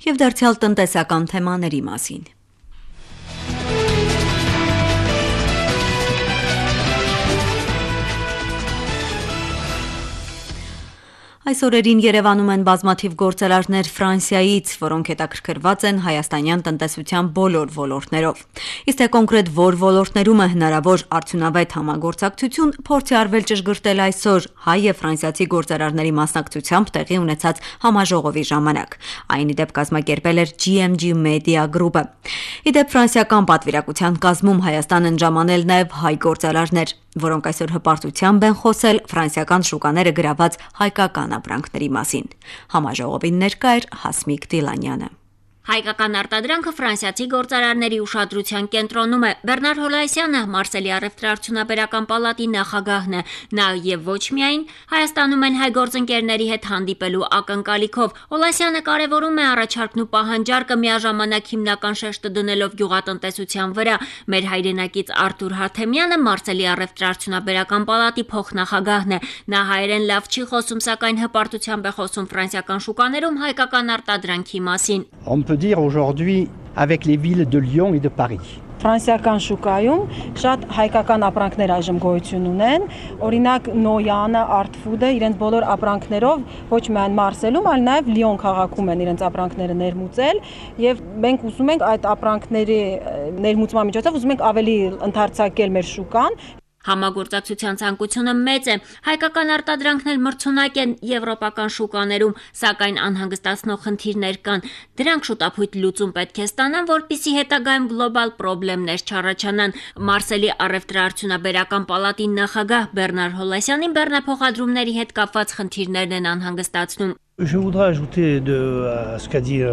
Եվ դարձյալ տնտեսական թեմաների մասին։ Այս օրերին Երևանում են բազմաթիվ գործարարներ Ֆրանսիայից, որոնք հետաքրքրված են հայաստանյան տնտեսության բոլոր ոլորտներով։ Իսկ թե կոնկրետ որ ոլորտներում է հնարավոր արդյունավետ համագործակցություն, փորձ է արվել ճշգրտել այսօր հայ եւ ֆրանսիացի գործարարների մասնակցությամբ տեղի ունեցած համաժողովի ժամանակ։ Այն ի դեպ կազմակերպել էր GMG Media Group-ը։ Ի դեպ ֆրանսիական պատվիրակության կազմում Հայաստան են ժամանել նաեւ հայ գործարարներ, որոնք այսօր հպարտությամբ են խոսել ֆրանսիական շուկաները գրաված հայկական ապրանքների մասին։ Համաժողովին ներկա էր Հասմիկ Դիլանյանը։ Հայկական արտադրանքը ֆրանսիացի գործարարների ուշադրության կենտրոնում է։ Բեռնար Հոլայսյանը Մարսելի առևտրաարդյունաբերական պալատի նախագահն է։ Նա եւ ոչ միայն Հայաստանում են հայ գործընկերների հետ հանդիպելու ակնկալիքով։ Հոլայսյանը կարևորում է առաջարկն ու պահանջարկը միաժամանակ հիմնական շեշտը դնելով գյուղատնտեսության վրա։ Մեր հայրենակից Արտուր Հարթեմյանը Մարսելի առևտրաարդյունաբերական պալատի փոխնախագահն է։ Նա հայերեն լավ չի խոսում, սակայն հպարտությամբ է խոսում ֆրանսիական շուկաներում հայկական արտադրանքի մասին։ Dire aujourd'hui avec les villes de Lyon et de Paris. Ֆրանսիական շուկայում շատ հայկական ապրանքներ այժմ գոյություն ունեն, օրինակ Նոյանը, Artfood-ը իրենց բոլոր ապրանքներով ոչ միայն Մարսելում, այլ նաև Լիոն քաղաքում են իրենց ապրանքները ներմուծել եւ մենք ուզում ենք այդ ապրանքների ներմուծման միջոցով ուզում ենք ավելի ընդարձակել մեր շուկան։ Համագործակցության ցանկությունը մեծ է, հայկական արտադրանքն էլ մրցունակ են եվրոպական շուկաներում, սակայն անհանգստացնող խնդիրներ կան։ Դրանք շուտապույտ լուծում պետք է ստանան, որպեսզի հետագայում գլոբալ խնդիրներ չառաջանան։ Մարսելի առևտրաարդյունաբերական պալատի նախագահ Բեռնար Հոլասյանին բեռնափոխադրումների հետ կապված խնդիրներն են անհանգստացնում։ Je voudrais ajouter à ce qu'a dit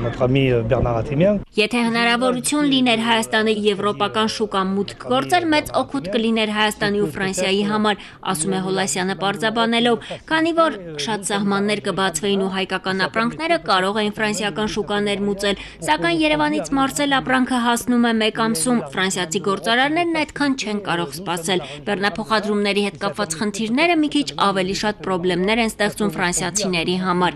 notre ami Bernard Atemian. Եթե հնարավորություն լիներ Հայաստանը եվրոպական շուկա մուտք գործել, մեծ օգուտ կլիներ Հայաստանի ու Ֆրանսիայի համար, ասում է Հոլասյանը պարզաբանելով, քանի որ շատ սահմաններ կբացվեին ու հայկական ապրանքները կարող էին ֆրանսիական շուկաներ մուծել, սակայն Երևանից Մարսել ապրանքը հասնում է 1 ամսում, ֆրանսիացի գործարարներն այդքան չեն կարող սպասել։ Բեռնափոխադրումների հետ կապված խնդիրները մի քիչ ավելի շատ խնդիրներ են ստեղծում ֆրանսիացիների համար։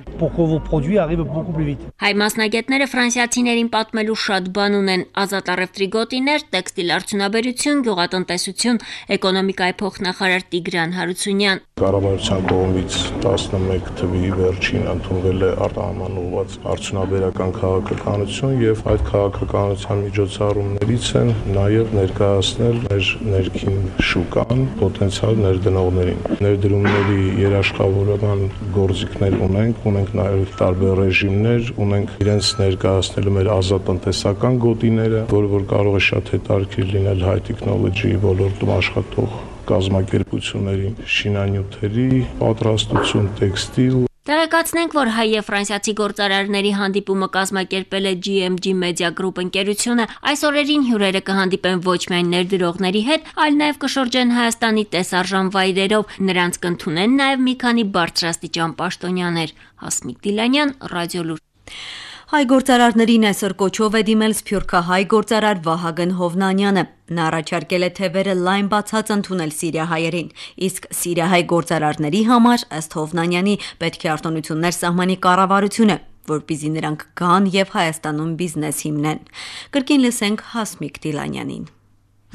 Հայ մասնագետները ֆրանսիացիներին պատմելու շատ բան ունեն՝ ազատ առևտրի գոտիներ, տեքստիլ արդյունաբերություն, գյուղատնտեսություն, էկոնոմիկայի փոխնախարար Տիգրան Հարությունյան։ Կառավարության կողմից 11 թվականի վերջին ընդունվել է արտահանված արդյունաբերական քաղաքականություն եւ այդ քաղաքականության միջոցառումներից են նաեւ ներկայացնել մեր ներքին շուկան պոտենցիալ ներդնողներին։ Ներդրումների երաշխավորական գործիքներ ունենք նաև տարբեր ռեժիմներ, ունենք իրենց ներկայացնելու մեր ազատ տնտեսական գոտիները, որը կարող է շատ հետաքրքիր լինել high technology ոլորտում աշխատող կազմակերպությունների, շինանյութերի պատրաստություն, տեքստիլ։ Տեղեկացնենք, որ հայ եւ ֆրանսիացի գործարարների հանդիպումը կազմակերպել է GMG Media Group ընկերությունը։ Այս օրերին հյուրերը կհանդիպեն ոչ միայն ներդրողների հետ, այլ նաեւ կշրջեն Հայաստանի տեսարժան վայրերով։ Նրանց կընդունեն նաեւ մի քանի բարձրաստիճան պաշտոնյաներ։ Հասմիկ Դիլանյան, Ռադիոլուր։ Հայ գործարարներին այսօր կոչով է դիմել սփյուռքահայ գործարար Վահագն Հովնանյանը։ Նա առաջարկել է թևերը լայն բացած ընդունել սիրիահայերին, իսկ սիրիահայ գործարարների համար, ըստ Հովնանյանի, պետք է արտոնություններ սահմանի կառավարությունը, որպեսզի նրանք գան եւ Հայաստանում բիզնես հիմնեն։ Կրկին լսենք Հասմիկ Դիլանյանին։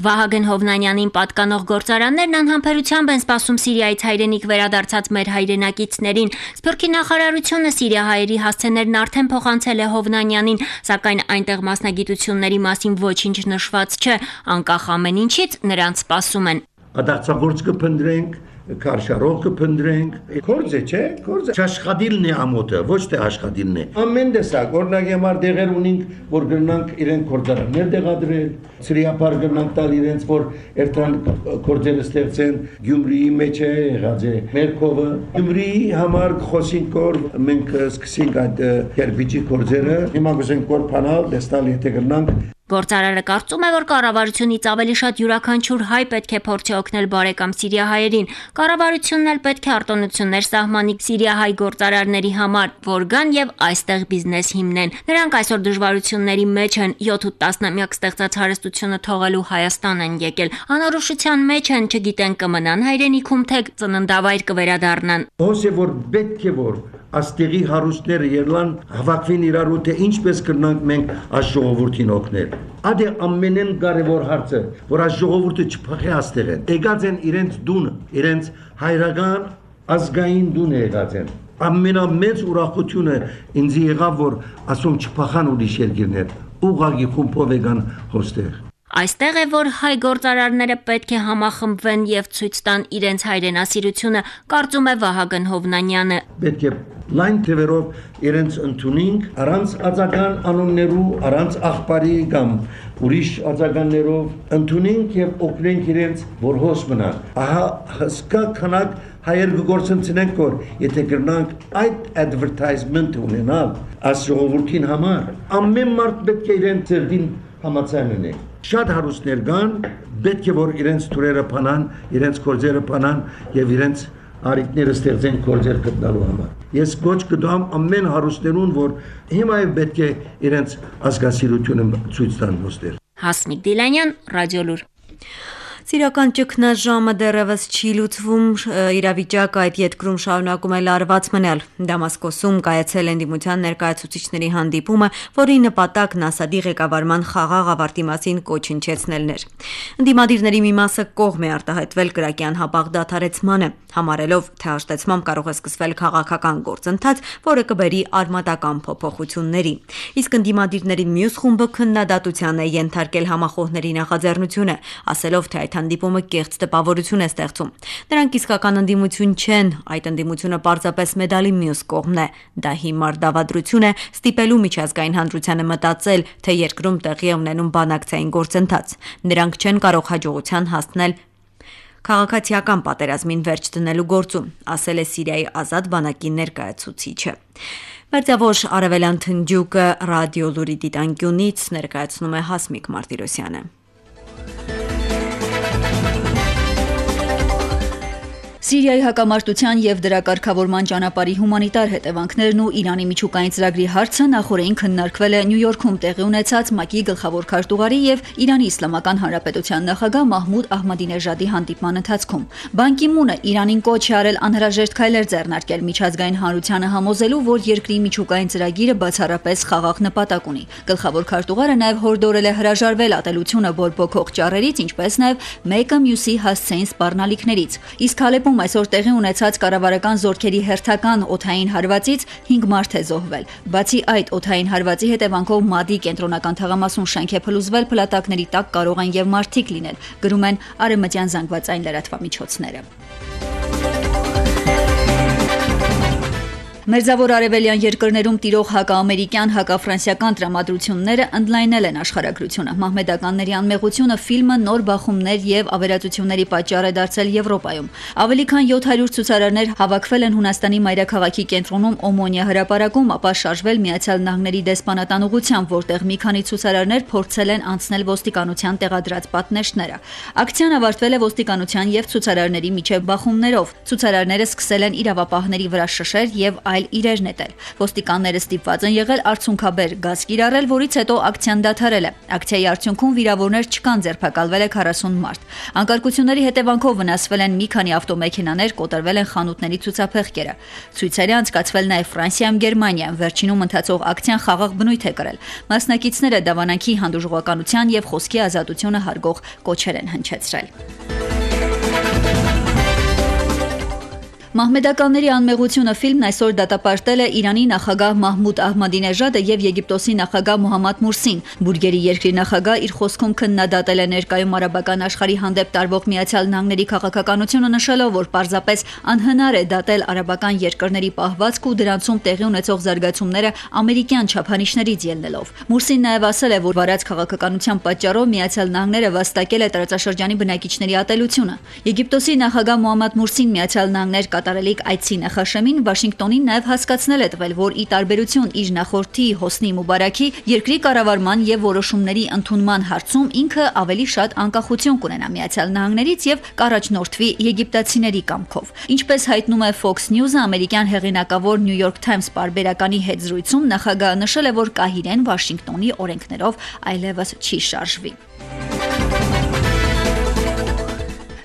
Վահագն Հովնանյանին պատկանող գործարաններն անհամբերությամբ են սպասում Սիրիայից հայրենիք վերադարձած մեր հայրենակիցներին։ Սփյուռքի նախարարությունը սիրիահայերի հասցեներն արդեն փոխանցել է Հովնանյանին, սակայն այնտեղ մասնագիտությունների մասին ոչինչ նշված չէ, անկախ ամեն ինչից նրանց սպասում են։ Ադարձագործ կփնտրենք, քարշարող կփնտրենք, կորձ է, չէ, կորձը աշխատիլն է ամոթը, ոչ թե աշխատիլն է։ Ամեն տեսակ, օրինակ համար դեղեր ունենք, որ գրնանք իրենք կորձարաններ դեղադրել, սրիապար գրնանք տալ իրենց, որ երթան կորձերը ստեղծեն, Գյումրիի մեջ է եղած է Մերկովը։ Գյումրիի համար խոսենք, որ մենք սկսենք այդ կերպիչի կորձերը, հիմա գուզենք կորփանալ, դեստալ եթե գրնանք։ Գործարարը կարծում է, որ կառավարությունից ավելի շատ յուրաքանչյուր հայ պետք է փորձի օգնել բարեկամ սիրիահայերին։ Կառավարությունն էլ պետք է արտոնություններ սահմանի սիրիահայ գործարարների համար, որ գան եւ այստեղ բիզնես հիմնեն։ Նրանք այսօր դժվարությունների մեջ են, 7-8 տասնամյակ ստեղծած հարստությունը թողելու Հայաստան են եկել։ Անորոշության մեջ են, չգիտեն կմնան հայրենիքում, թե ծննդավայր կվերադառնան։ Ոնց է որ պետք է որ աստեղի հարուստները երլան հավաքվին իրար ու թե ինչպես կրնանք մենք այս ժողովրդին օգնել։ Ադե ամենեն կարևոր հարցը, որ այս ժողովուրդը չփախի աստեղեն։ Եկած են իրենց դունը, իրենց հայրական ազգային դունը եկած են։ Ամենամեծ ուրախությունը ինձ եղավ, որ ասում չփախան ուրիշ երկիրներ, ուղղակի խումբով եկան հոստեղ։ Այստեղ է, որ հայ գործարարները պետք է համախմբվեն եւ ցույց տան իրենց հայրենասիրությունը, կարծում է Վահագն Հովնանյանը։ Պետք է լայն թվերով իրենց ընդունենք, առանց ածական անուններու, առանց աղբարի կամ ուրիշ ածականներով ընդունենք եւ օգնենք իրենց, որ հոս մնան։ Ահա հսկա քանակ հայեր գործընծնենք, որ եթե գրնանք այդ advertisement ունենալ, այս ժողովրդին համար, ամեն մարդ պետք է իրենց ծերդին համաձայն ունի։ Շատ հարուստներ կան, պետք է որ իրենց թուրերը փանան, իրենց կորձերը փանան եւ իրենց արիկները ստեղծեն կորձեր գտնալու համար։ Ես կոչ կտամ ամեն հարուստներուն, որ հիմա պետք է իրենց ազգասիրությունը ցույց տան ոստեր։ Հասմիկ Դիլանյան, Ռադիոլուր։ Սիրական ճգնաժամը դեռևս չի լուծվում, իրավիճակը այդ երկրում շարունակում է լարված մնալ։ Դամասկոսում կայացել ընդդիմության ներկայացուցիչների հանդիպումը, որի նպատակն Ասադի ղեկավարման խաղաղ ավարտի մասին կոչնչեցնելն էր։ Ընդդիմադիրների մի մասը կողմ է արտահայտվել կրակի անհապաղ դադարեցմանը, համարելով, թե հաշտեցմամբ կարող է սկսվել քաղաքական գործընթաց, որը կբերի արմատական փոփոխությունների։ Իսկ ընդդիմադիրների մյուս խումբը քննադատության է ենթարկել համախոհների նախաձեռնությունը, ասելով, թե այդ հանդիպումը կեղծ տպավորություն է ստեղծում։ Նրանք իսկական ընդդիմություն չեն, այդ ընդդիմությունը պարզապես մեդալի մյուս կողմն է։ Դա հիմար դավադրություն է ստիպելու միջազգային հանրությանը մտածել, թե երկրում տեղի է ունենում բանակցային գործընթաց։ Նրանք չեն կարող հաջողության հասնել քաղաքացիական պատերազմին վերջ դնելու գործում, ասել է Սիրիայի ազատ բանակի ներկայացուցիչը։ Մերձավոր արևելյան թնդյուկը ռադիո լուրի դիտանկյունից ներկայացնում է Հասմիկ Մարտիրոսյանը։ Սիրիայի հակամարտության եւ դրա կարգավորման ճանապարհի հումանիտար հետևանքներն ու Իրանի միջուկային ծրագրի հարցը նախորդին քննարկվել է Նյու Յորքում տեղի ունեցած ՄԱԿ-ի գլխավոր քարտուղարի եւ Իրանի Իսլամական Հանրապետության նախագահ Մահմուդ Ահմադինեժադի հանդիպման ընթացքում։ Բան Կի Մունը Իրանին կոչ է արել անհրաժեշտ քայլեր ձեռնարկել միջազգային հանրությանը համոզելու, որ երկրի միջուկային ծրագիրը բացառապես խաղաղ նպատակ ունի։ Գլխավոր քարտուղարը նաեւ հորդորել է հրաժարվել ատելությունը բորբոքող ճառերից, ինչպես նաեւ մեկը մյուսի հասցեին սպառնալիքներից։ Իսկ Հալեպում այսօր տեղի ունեցած կառավարական զորքերի հերթական օդային հարվածից 5 մարդ է զոհվել։ Բացի այդ, օդային հարվածի հետևանքով Մադի կենտրոնական թաղամասում շենք է փլուզվել, փլատակների տակ կարող են եւ մարդիկ լինել, գրում են արևմտյան զանգվածային լրատվամիջոցները։ Մերձավոր արևելյան երկրներում տիրող հակաամերիկյան, հակաֆրանսիական տրամադրությունները ընդլայնել են աշխարհագրությունը։ Մահմեդականների անմեղությունը ֆիլմը նոր բախումներ եւ ավերածությունների պատճառ է դարձել Եվրոպայում։ Ավելի քան 700 ցուցարարներ հավաքվել են Հունաստանի մայրաքաղաքի կենտրոնում Օմոնիա հրապարակում, ապա շարժվել Միացյալ Նահանգների դեսպանատան ուղղությամբ, որտեղ մի քանի ցուցարարներ փորձել են անցնել ոստիկանության տեղադրած պատնեշները։ Ակցիան ավարտվել է ոստիկանության եւ ցուցարարների միջև բախումներով։ Ցուցարարները սկսել են իրավապահների վրա շշեր եւ այլ իրեր նետել։ Ոստիկանները ստիպված են եղել արցունքաբեր գազ կիրառել, որից հետո ակցիան դադարել է։ Ակցիայի արդյունքում վիրավորներ չկան, ձերբակալվել է 40 մարդ։ Անկարգությունների հետևանքով վնասվել են մի քանի ավտոմեքենաներ, կոտրվել են խանութների ցուցափեղկերը։ Ցույցերը անցկացվել նաև Ֆրանսիայում, Գերմանիայում, վերջինում ընթացող ակցիան խաղաղ բնույթ է կրել։ Մասնակիցները դավանանքի հանդուրժողականության եւ խոսքի ազատությունը հարգող կոչեր են հնչեցրել։ Մահմեդականների անմեղությունը ֆիլմն այսօր դատապարտել է Իրանի նախագահ Մահմուդ Ահմադինեժադը եւ Եգիպտոսի նախագահ Մոհամմադ Մուրսին։ Բուրգերի երկրի նախագահ իր խոսքում քննադատել է ներկայում արաբական աշխարհի հանդեպ տարվող Միացյալ Նահանգների քաղաքականությունը, նշելով, որ պարզապես անհնար է դատել արաբական երկրների պահվածք ու դրանցում տեղի ունեցող զարգացումները ամերիկյան չափանիշներից ելնելով։ Մուրսին նաեւ ասել է, որ վարած քաղաքականության պատճառով Միացյալ Նահանգները վաստակել է տարածաշրջանի բնակիչների ատելությունը։ Եգիպտոսի նախագահ Մոհամմադ Մուրսին Միացյալ Նահանգներ կատարելիք այցի նախաշեմին Վաշինգտոնին նաև հասկացնել է տվել, որ ի տարբերություն իր նախորդի Հոսնի Մուբարաքի երկրի կառավարման եւ որոշումների ընդունման հարցում ինքը ավելի շատ անկախություն կունենա Միացյալ Նահանգներից եւ կառաջնորդվի եգիպտացիների կամքով։ Ինչպես հայտնում է Fox News-ը, ամերիկյան հեղինակավոր New York Times պարբերականի հետ զրույցում նախագահը նշել է, որ Կահիրեն Վաշինգտոնի օրենքներով այլևս չի շարժվի։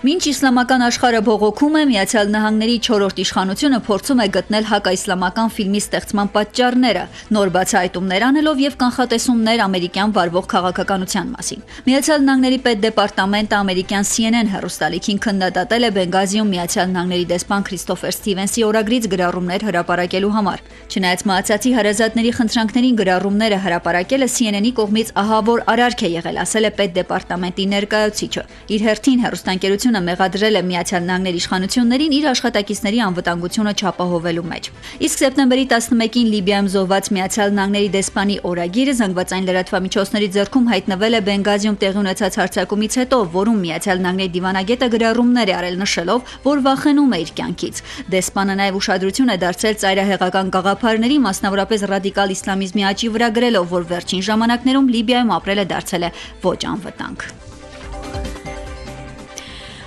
Մինչ իսլամական աշխարհը բողոքում է, Միացյալ Նահանգների 4-րդ իշխանությունը փորձում է գտնել հակաիսլամական ֆիլմի ստեղծման պատճառները, նոր բացահայտումներ անելով եւ կանխատեսումներ ամերիկյան վարվող քաղաքականության մասին։ Միացյալ Նահանգների պետդեպարտամենտը ամերիկյան CNN հեռուստալիքին քննադատել է Բենգազիում Միացյալ Նահանգների դեսպան Քրիստոֆեր Սթիվենսի օրագրից գրառումներ հրապարակելու համար։ Չնայած մահացածի հարազատների խնդրանքներին գրառումները հրապարակելը CNN-ի կողմից ահավոր արարք է եղել, ասել է պետդեպարտամենտի ներկայացուցիչը։ Իր հերթին հեռուստաընկերությունը մեղադրել է Միացյալ Նահանգների իշխանություններին իր աշխատակիցների անվտանգությունը չապահովելու մեջ։ Իսկ սեպտեմբերի 11-ին Լիբիայում զոհված Միացյալ Նահանգների դեսպանի օրագիրը զանգվածային լրատվամիջոցների ձեռքում հայտնվել է Բենգազիում տեղի ունեցած հարձակումից հետո, որում Միացյալ Նահանգների դիվանագետը գրառումներ է արել, նշելով, որ վախենում է իր կյանքից։ Դեսպանը նաև ուշադրություն է դարձրել ծայրահեղական գաղափարների, մասնավորապես ռադիկալ իսլամիզմի աճի վրա, գրելով, որ վերջին ժամանակներում Լիբիայում ապրելը դարձել է ոչ անվտանգ։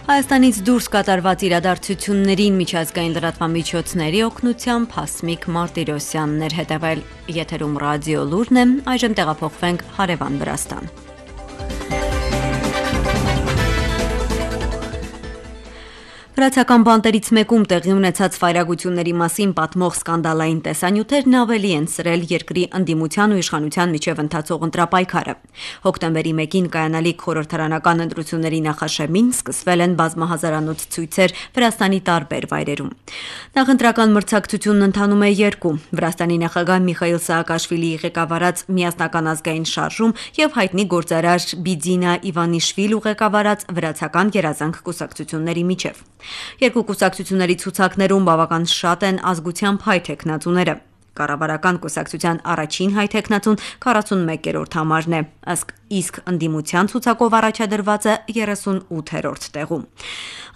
Հայաստանից դուրս կատարված իրադարձություններին միջազգային լրատվամիջոցների օգնությամբ Հասմիկ Մարտիրոսյանն էր հետևել։ Եթերում ռադիո լուրն է, այժմ տեղափոխվենք հարևան Վրաստան։ Վրացական բանտերից մեկում տեղի ունեցած վայրագությունների մասին պատմող սկանդալային տեսանյութերն ավելի են սրել երկրի ընդդիմության ու իշխանության միջև ընթացող ընտրապայքարը։ Հոկտեմբերի 1-ին կայանալիք խորհրդարանական ընտրությունների նախաշեմին սկսվել են բազմահազարանոց ցույցեր Վրաստանի տարբեր վայրերում։ Նախընտրական մրցակցությունն ընթանում է երկու՝ Վրաստանի նախագահ Միխայիլ Սաակաշվիլիի ղեկավարած Միասնական ազգային շարժում եւ հայտնի գործարար Բիձինա Իվանիշվիլու ղեկավարած Վրացական գերազանք կուսակցությունների միջև։ Երկու կուսակցությունների ցուցակներում բավական շատ են ազգությամբ հայ թեկնածուները։ Կառավարական կուսակցության առաջին հայ թեկնածուն 41-րդ համարն է, իսկ ընդդիմության ցուցակով առաջադրվածը 38-րդ տեղում։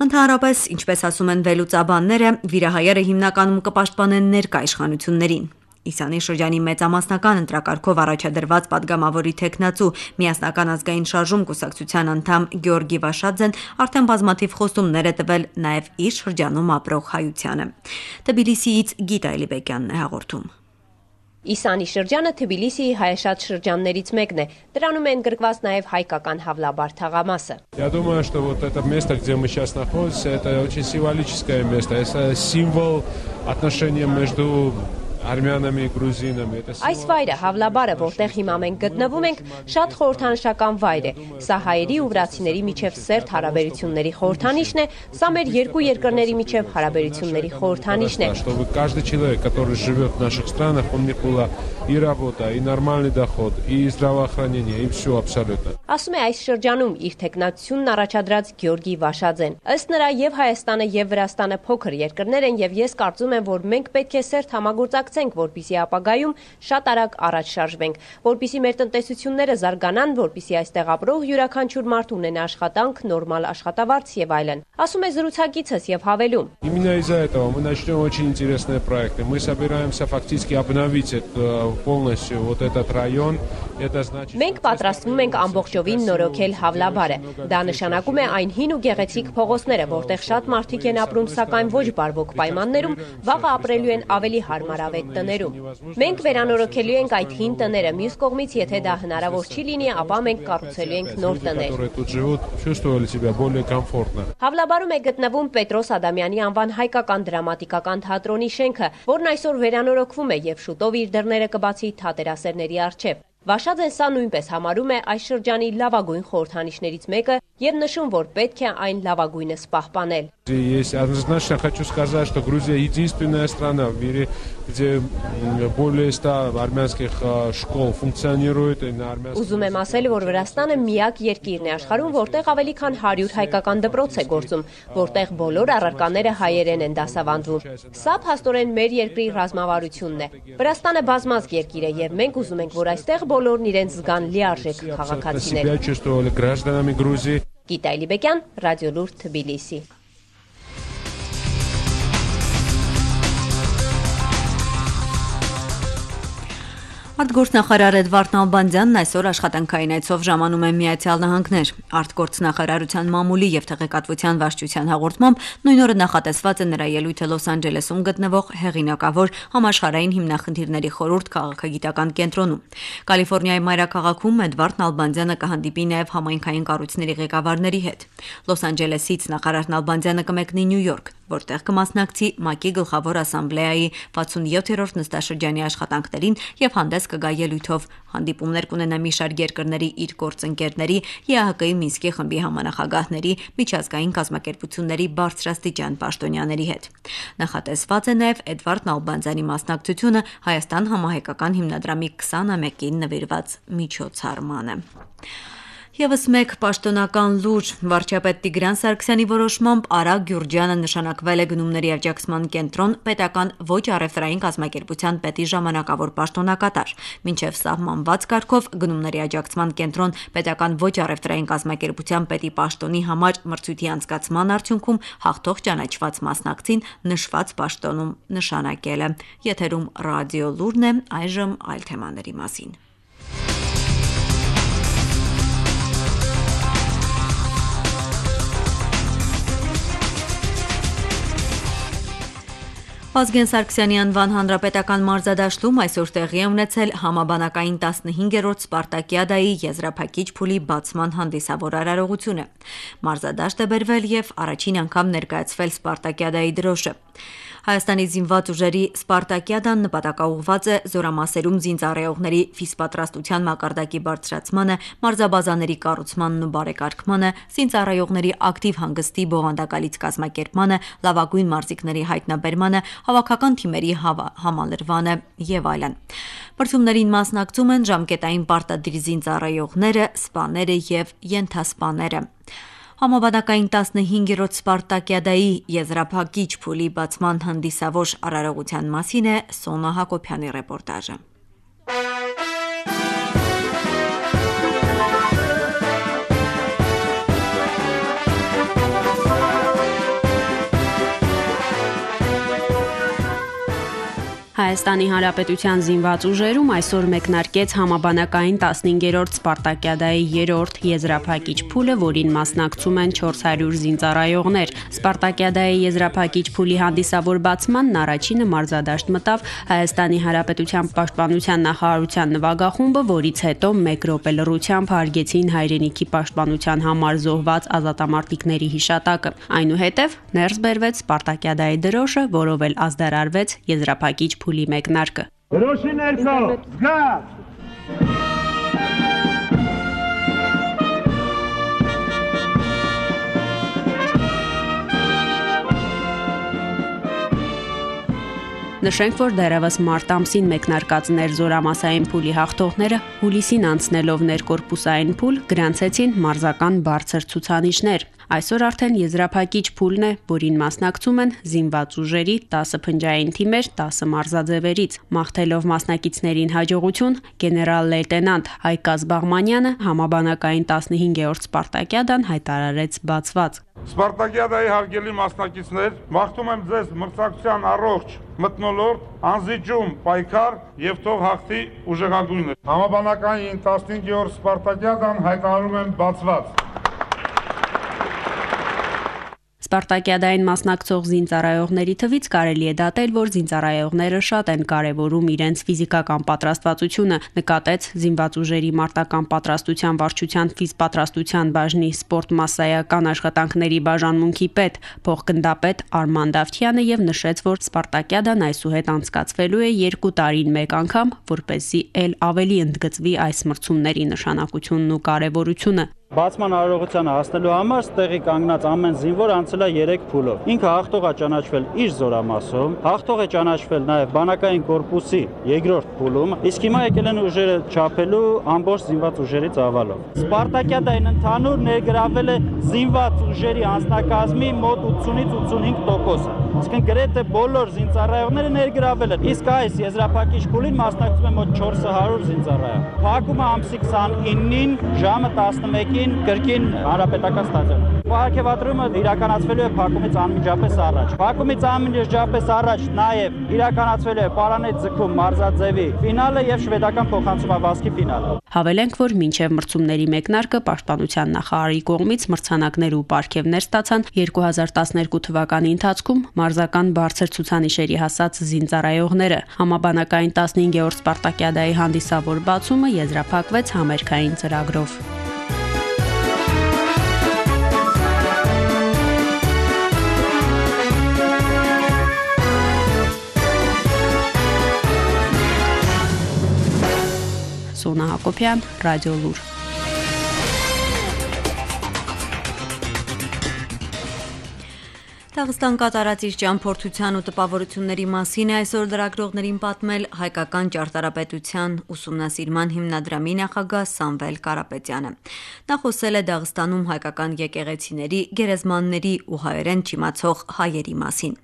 Ընդհանրապես, ինչպես ասում են վերլուծաբանները, վիրահայերը հիմնականում կպաշտպանեն ներկա իշխանություններին։ Իսանի շրջանի մեծամասնական ընտրակարգով առաջադրված падգամավորի թեկնածու Միասնական ազգային շարժում կուսակցության անդամ Գեորգի Վաշաձեն արդեն բազմաթիվ խոստումներ է տվել նաև իր շրջանում ապրող հայությանը։ Թբիլիսիից Գիտա Էլիբեկյանն է հաղորդում։ Իսանի շրջանը Թբիլիսիի հայաշատ շրջաններից մեկն է։ Դրանում են գրկված նաև հայկական Հավլաբար թաղամասը։ Я думаю, что вот это место, где мы сейчас находимся, это очень символическое место. Это символ отношений между արմյանами, գրուզինами, Այս վայրը Հավլաբարը, որտեղ հիմա մենք գտնվում ենք, շատ խորհրդանշական վայր է։ Սա հայերի ու վրացիների միջև սերտ հարաբերությունների խորհրդանիշն է, սա մեր երկու երկրների միջև հարաբերությունների խորհրդանիշն է։ Чтобы каждый человек, который живет в наших странах, у них была и работа, и нормальный доход, и здравоохранение, и все абсолютно. Ասում է այս շրջանում իր տեխնացությունն առաջադրած Գեորգի Վաշաձեն։ Ըստ նրա եւ Հայաստանը եւ Վրաստանը փոքր երկրներ են եւ ես կարծում եմ, որ մենք պետք է սերտ համագործակցենք, որպեսզի ապագայում շատ արագ առաջ շարժվենք, որպեսզի մեր տնտեսությունները զարգանան, որպեսզի այստեղ ապրող յուրաքանչյուր մարդ ունենա աշխատանք, նորմալ աշխատավարձ եւ այլն։ Ասում է զրուցակիցս եւ հավելում. Именно из-за этого мы начнем очень интересные проекты. Мы собираемся фактически обновить полностью вот этот район. Это значит Մենք պատրաստվում ենք ամբողջովին նորոգել Հավլաբարը։ Դա նշանակում է այն հին ու գեղեցիկ փողոցները, որտեղ շատ մարդիկ են ապրում, սակայն ոչ բարվոք պայմաններում, վաղը ապրելու են ավելի հարմարավետ տներում։ Մենք վերանորոգելու ենք այդ հին տները, մյուս կողմից, եթե դա հնարավոր չի լինի, ապա մենք կառուցելու ենք նոր տներ։ Հավլաբարում է գտնվում Պետրոս Ադամյանի անվան հայկական դրամատիկական թատրոնի շենքը, որն այսօր վերանորոգվում է եւ շուտով իր դռները կբացի թատերասերների առջև։ Վաշաձեն սա նույնպես համարում է այս շրջանի լավագույն խորհրդանիշներից մեկը եւ нշում, որ պետք է այն լավագույնս պահպանել։ Есть однозначно хочу сказать, что Грузия единственная страна в мире, где более 100 армянских школ функционирует на армянском. Ուզում եմ ասել, որ Վրաստանը միակ երկիրն է աշխարհում, որտեղ ավելի քան 100 հայկական դպրոց է գործում, որտեղ բոլոր առարկաները հայերեն են դասավանդվում։ Սա փաստորեն մեր երկրի ռազմավարությունն է։ Վրաստանը բազմազգ երկիր է եւ մենք ուզում ենք, որ այստեղ բոլորն իրենց զգան լիարժեք քաղաքացիներ։ Գիտա Էլիբեկյան, Ռադիոլուր, Թբիլիսի։ Արտգործնախարար Էդվարդ Նալբանդյանն այսօր աշխատանքային այցով ժամանում է Միացյալ Նահանգներ։ Արտգործնախարարության մամուլի եւ տեղեկատվության վարչության հաղորդմամբ նույն օրը նախատեսված է նրա ելույթը Լոս Անջելեսում գտնվող հեղինակավոր համաշխարհային հիմնախնդիրների խորհուրդ քաղաքագիտական կենտրոնում։ Կալիֆոռնիայի մայրաքաղաքում Էդվարդ Նալբանդյանը կհանդիպի նաեւ համայնքային կառույցների ղեկավարների հետ։ Լոս Անջելեսից նախարար Նալբանդյանը կմեկնի Նյու Յորք, որտեղ կմասնակցի ՄԱԿ-ի գլխավոր ասամբլեայի 67-րդ նստաշրջանի աշխատանքներին եւ հանդես կգա ելույթով։ Հանդիպումներ կունենա մի շարք երկրների իր գործընկերների, ԵԱՀԿ-ի Մինսկի խմբի համանախագահների, միջազգային կազմակերպությունների բարձրաստիճան պաշտոնյաների հետ։ Նախատեսված է նաև Էդվարդ Նալբանդյանի մասնակցությունը Հայաստան համահայկական հիմնադրամի 21-ին նվիրված միջոցառմանը։ Եվս մեկ պաշտոնական լուր վարչապետ Տիգրան Սարգսյանի որոշմամբ Արա Գյուրջյանը նշանակվել է գնումների աջակցման կենտրոն պետական ոչ առևտրային կազմակերպության պետի ժամանակավոր պաշտոնակատար։ Մինչև սահմանված կարգով գնումների աջակցման կենտրոն պետական ոչ առևտրային կազմակերպության պետի պաշտոնի համար մրցույթի անցկացման արդյունքում հաղթող ճանաչված մասնակցին նշված պաշտոնում նշանակել է։ Եթերում ռադիո լուրն է, այժմ այլ թեմաների մասին։ Վազգեն Սարգսյանի անվան հանրապետական մարզադաշտում այսօր տեղի է ունեցել համաբանակային 15-րդ Սպարտակիադայի եզրափակիչ փուլի բացման հանդիսավոր արարողությունը։ Մարզադաշտ է բերվել եւ առաջին անգամ ներկայացվել Սպարտակիադայի դրոշը։ Հայաստանի զինված ուժերի Սպարտակիադան նպատակաուղղված է զորամասերում զինծառայողների ֆիզպատրաստության մակարդակի բարձրացմանը, մարզաբազաների կառուցմանն ու բարեկարգմանը, զինծառայողների ակտիվ հանգստի բովանդակալից կազմակերպմանը, լավագույն մարզիկների հայտնաբերմանը, հավաքական թիմերի համալրվանը եւ այլն։ Բրցումներին մասնակցում են ժամկետային պարտադիր զինծառայողները, սպաները եւ ենթասպաները։ Համաբանակային 15-րդ Սպարտակիադայի եզրափակիչ փուլի բացման հանդիսավոր արարողության մասին է Սոնա Հակոբյանի ռեպորտաժը։ Հայաստանի Հանրապետության զինված ուժերում այսօր մեկնարկեց համաբանակային 15-րդ Սպարտակիադայի 3-րդ եզրափակիչ փուլը, որին մասնակցում են 400 զինծառայողներ։ Սպարտակիադայի եզրափակիչ փուլի հանդիսավոր բացմանն առաջինը մարզադաշտ մտավ Հայաստանի Հանրապետության պաշտպանության նախարարության նվագախումբը, որից հետո 1 րոպե լռությամբ հարգեցին հայրենիքի պաշտպանության համար զոհված ազատամարտիկների հիշատակը։ Այնուհետև ներս բերվեց Սպարտակիադայի դրոշը, որով էլ ազդարարվեց եզրափակիչ փուլի մեկնարկը։ Դրոշի ներքո, զգա! Նշենք, որ դեռևս մարտ ամսին մեկնարկած ներզորամասային փուլի հաղթողները հուլիսին անցնելով ներկորպուսային փուլ գրանցեցին մարզական բարձր ցուցանիշներ։ Այսօր արդեն եզրափակիչ փուլն է, որին մասնակցում են զինված ուժերի 10 փնջային թիմեր 10 մարզաձևերից։ Մաղթելով մասնակիցներին հաջողություն, գեներալ-լեյտենանտ Հայկ Ազբաղմանյանը համաբանակային 15-րդ Սպարտակիադան հայտարարեց բացված։ Սպարտակիադայի հարգելի մասնակիցներ, մաղթում եմ ձեզ մրցակցության առողջ մթնոլորտ, անզիջում պայքար եւ թող հաղթի ուժեղագույնը։ Համաբանակային 15-րդ Սպարտակիադան հայտարարում եմ բացված։ Սպարտակիադային մասնակցող զինծառայողների թվից կարելի է դատել, որ զինծառայողները շատ են կարևորում իրենց ֆիզիկական պատրաստվածությունը, նկատեց զինված ուժերի մարտական պատրաստության վարչության ֆիզպատրաստության բաժնի սպորտ մասսայական աշխատանքների բաժանմունքի պետ, փոխգնդապետ Արման Դավթյանը եւ նշեց, որ Սպարտակիադան այսուհետ անցկացվելու է 2 տարին մեկ անգամ, որպեսզի ել ավելի ընդգծվի այս մրցումների նշանակությունն ու կարևորությունը։ Բացման արարողությանը հասնելու համար ստեղի կանգնած ամեն զինվոր անցել է 3 փուլով։ Ինքը հաղթող է ճանաչվել իր զորամասում, հաղթող է ճանաչվել նաև բանակային կորպուսի 2-րդ փուլում, իսկ հիմա եկել են ուժերը չափելու ամբողջ զինված ուժերի ծավալով։ Սպարտակիադային ընդհանուր ներգրավել է զինված ուժերի անձնակազմի մոտ 80-ից 85%, այսինքն գրեթե բոլոր զինծառայողները ներգրավել են։ Իսկ այս եզրափակիչ փուլին մասնակցում են մոտ 400 զինծառայող։ Փակումը ամսի 29-ին ժամը 11-ին կրկին հանրապետական ստադիոնում։ Պարգևատրումը իրականացվելու է փակումից անմիջապես առաջ։ Փակումից անմիջապես առաջ նաև իրականացվելու է Պարանետ ձգում մարզաձևի ֆինալը եւ շվեդական փոխանցումավազքի ֆինալը։ Հավելենք, որ մինչև մրցումների մեկնարկը պաշտպանության նախարարի կողմից մրցանակներ ու պարգևներ ստացան 2012 թվականի ընթացքում մարզական բարձր ցուցանիշերի հասած զինծառայողները։ Համաբանակային 15-րդ Սպարտակիադայի հանդիսավոր բացումը եզրափակվեց համերգային ծրագրով։ Սոնա Հակոբյան, Ռադիո Լուր։ Դաղստան կատարած իր ճամփորդության ու տպավորությունների մասին է այսօր լրագրողներին պատմել հայկական ճարտարապետության ուսումնասիրման հիմնադրամի նախագահ Սամվել Կարապետյանը։ Նա խոսել է Դաղստանում հայկական եկեղեցիների, գերեզմանների ու հայերեն չիմացող հայերի մասին։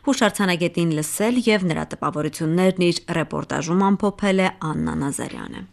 Հուշարձանագետին լսել եւ նրա տպավորություններն իր ռեպորտաժում ամփոփել է Աննա Նազարյանը։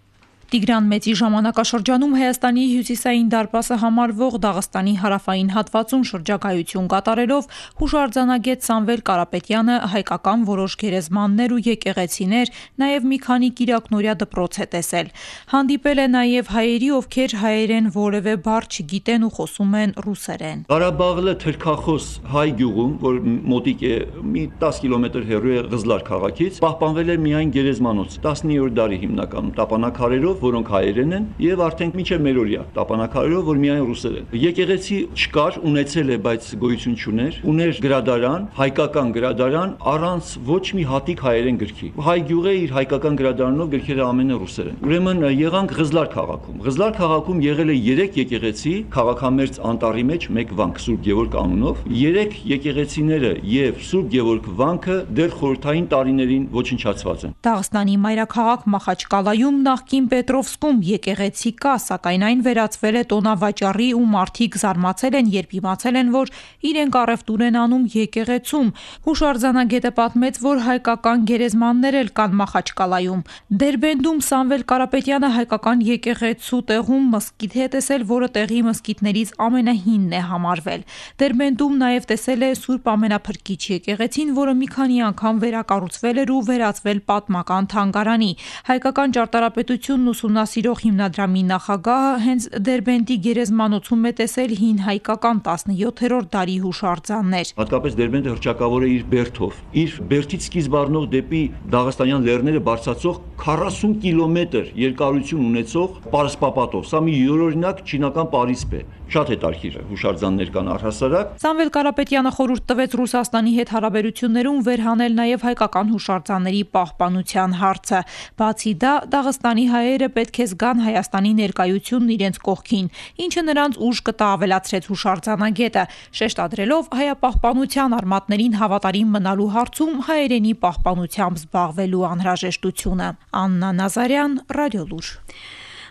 Տիգրան Մեծի ժամանակաշրջանում Հայաստանի հյուսիսային դարպասը համարվող Դաղստանի հարավային հատվածում շրջագայություն կատարելով հուշարձանագետ Սամվել Կարապետյանը հայկական որոշ գերեզմաններ ու եկեղեցիներ, նաև մի քանի կիրակնօրյա դպրոց է տեսել։ Հանդիպել է նաև հայերի, ովքեր հայերեն որևէ բառ չգիտեն ու խոսում են ռուսերեն։ Ղարաբաղը թրքախոս հայ գյուղում, որ մոտիկ է մի 10 կիլոմետր հեռու է Ղզլար քաղաքից, պահպանվել է միայն գերեզմանոց 19-րդ դարի հիմնականում տապանակարերով, որոնք հայերեն են, եւ արդեն մինչև մերօրյա տապանակարերով, որ միայն ռուսերեն։ Եկեղեցի չկար, ունեցել է, բայց գոյություն չուներ, ուներ գրադարան, հայկական գրադարան, առանց ոչ մի հատիկ հայերեն գրքի։ Հայ գյուղը իր հայկական գրադարանով գրքերը ամենը ռուսերեն։ Ուրեմն եղանք Ղզլար քաղաքում։ Ղզլար քաղաքում եղել է 3 եկեղեցի, քաղաքամերձ անտառի մեջ մեկ վանք Սուրբ Գևորգ անունով։ 3 եկեղեցիները եւ Սուրբ Գևորգ վանքը դեռ խորհրդային տարիներին ոչնչացված են։ Դաղստանի մայրաքաղաք Մախաչկալայում նախկին Պետրովսկում եկեղեցի կա, սակայն այն վերածվել է տոնավաճառի ու մարդիկ զարմացել են, երբ իմացել են, որ իրենք առևտուր են անում եկեղեցում։ Հուշարձանագետը պատմեց, որ հայկական գերեզմաններ էլ կան Մախաչկալայում։ Դերբենդում Սամվել Կարապետյանը հայկական եկեղեցու տեղում մզկիթ է տեսել, որը տեղի մզկիթներից ամենահինն է համարվել։ Դերբենդում նաև տեսել է Սուրբ Ամենափրկիչ եկեղեցին, որը մի քանի անգամ վերակառուցվել էր ու վերածվել պատմական թանգարանի։ Հայկական ճարտարապետությունն ուսումնասիրող հիմնադրամի նախագահը հենց Դերբենդի գերեզմանոցում է տեսել հին հայկական 17-րդ դարի հուշարձաններ։ Հատկապես Դերբենդը հռչակավոր է իր բերդով։ Իր բերդից սկիզբ առնող դեպի Դաղստանյան լեռները բարձրացող 40 կիլոմետր երկարություն ունեցող պարսպապատով։ Սա մի յուրօրինակ չինական պարիսպ է։ Շատ հետաքրքիր հուշարձաններ կան առհասարակ։ Սամվել Կարապետյանը խորհուրդ տվեց Ռուսաստանի հետ հարաբերություններում վերհանել նաև հայկական հուշարձանների պահպանության հարցը։ Բացի դա, Դաղստանի հայերը պետք է զգան Հայաստանի ներկայությունն իրենց կողքին, ինչը նրանց ուժ կտա, ավելացրեց հուշարձանագետը, շեշտադրելով հայապահպանության արմատներին հավատարիմ մնալու հարցում հայերենի պահպանությամբ զբաղվելու անհրաժեշտությունը։ Աննա Նազարյան, Ռադիոլուր։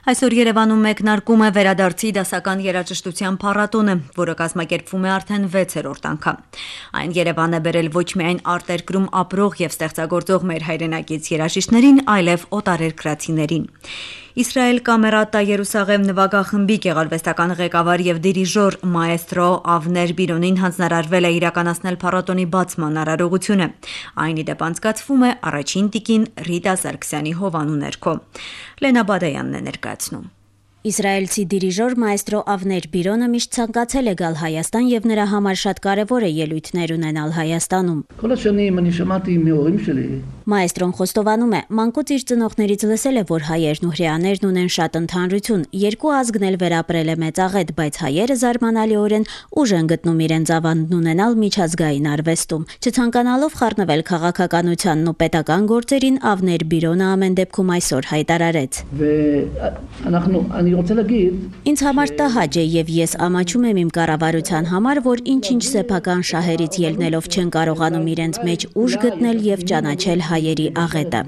Այսօր Երևանում մեկնարկում է վերադարձի դասական երաժշտության փառատոնը, որը կազմակերպվում է արդեն 6-րդ անգամ։ Այն Երևան է բերել ոչ միայն արտերկրում ապրող եւ ստեղծագործող մեր հայրենակից երաժիշտներին, այլև օտարերկրացիներին։ Իսրայել Կամերատա Երուսաղեմ նվագախմբի գեղարվեստական ղեկավար եւ դիրիժոր մաեստրո Ավներ Բիրոնին հանձնարարվել է իրականացնել փառատոնի բացման արարողությունը։ Այն ի դեպ անցկացվում է առաջին տիկին Ռիտա Սարգսյանի հովանու ներքո։ Լենա Բադայանն է ներկայացնում։ Իսրայելցի դիրիժոր մաեստրո Ավներ Բիրոնը միշտ ցանկացել է գալ Հայաստան եւ նրա համար շատ կարեւոր է ելույթներ ունենալ Հայաստանում։ Մաեստրոն խոստովանում է, մանկուց իր ծնողներից լսել է, որ հայերն ու հրեաներն ունեն շատ ընդհանրություն, երկու ազգն էլ վերապրել է մեծաղետ, բայց հայերը զարմանալիորեն ուժ են գտնում իրենց ավանդն ունենալ միջազգային արվեստում։ Չցանկանալով խառնվել քաղաքականությանն ու պետական գործերին, Ավներ Բիրոնը ամեն դեպքում այսօր հայտարարեց. Ինձ համար տհաճ է եւ ես ամաչում եմ իմ կառավարության համար, որ ինչ-ինչ սեփական շահերից ելնելով չեն կարողանում իրենց մեջ ուժ գտնել եւ ճանաչել հայերի աղետը։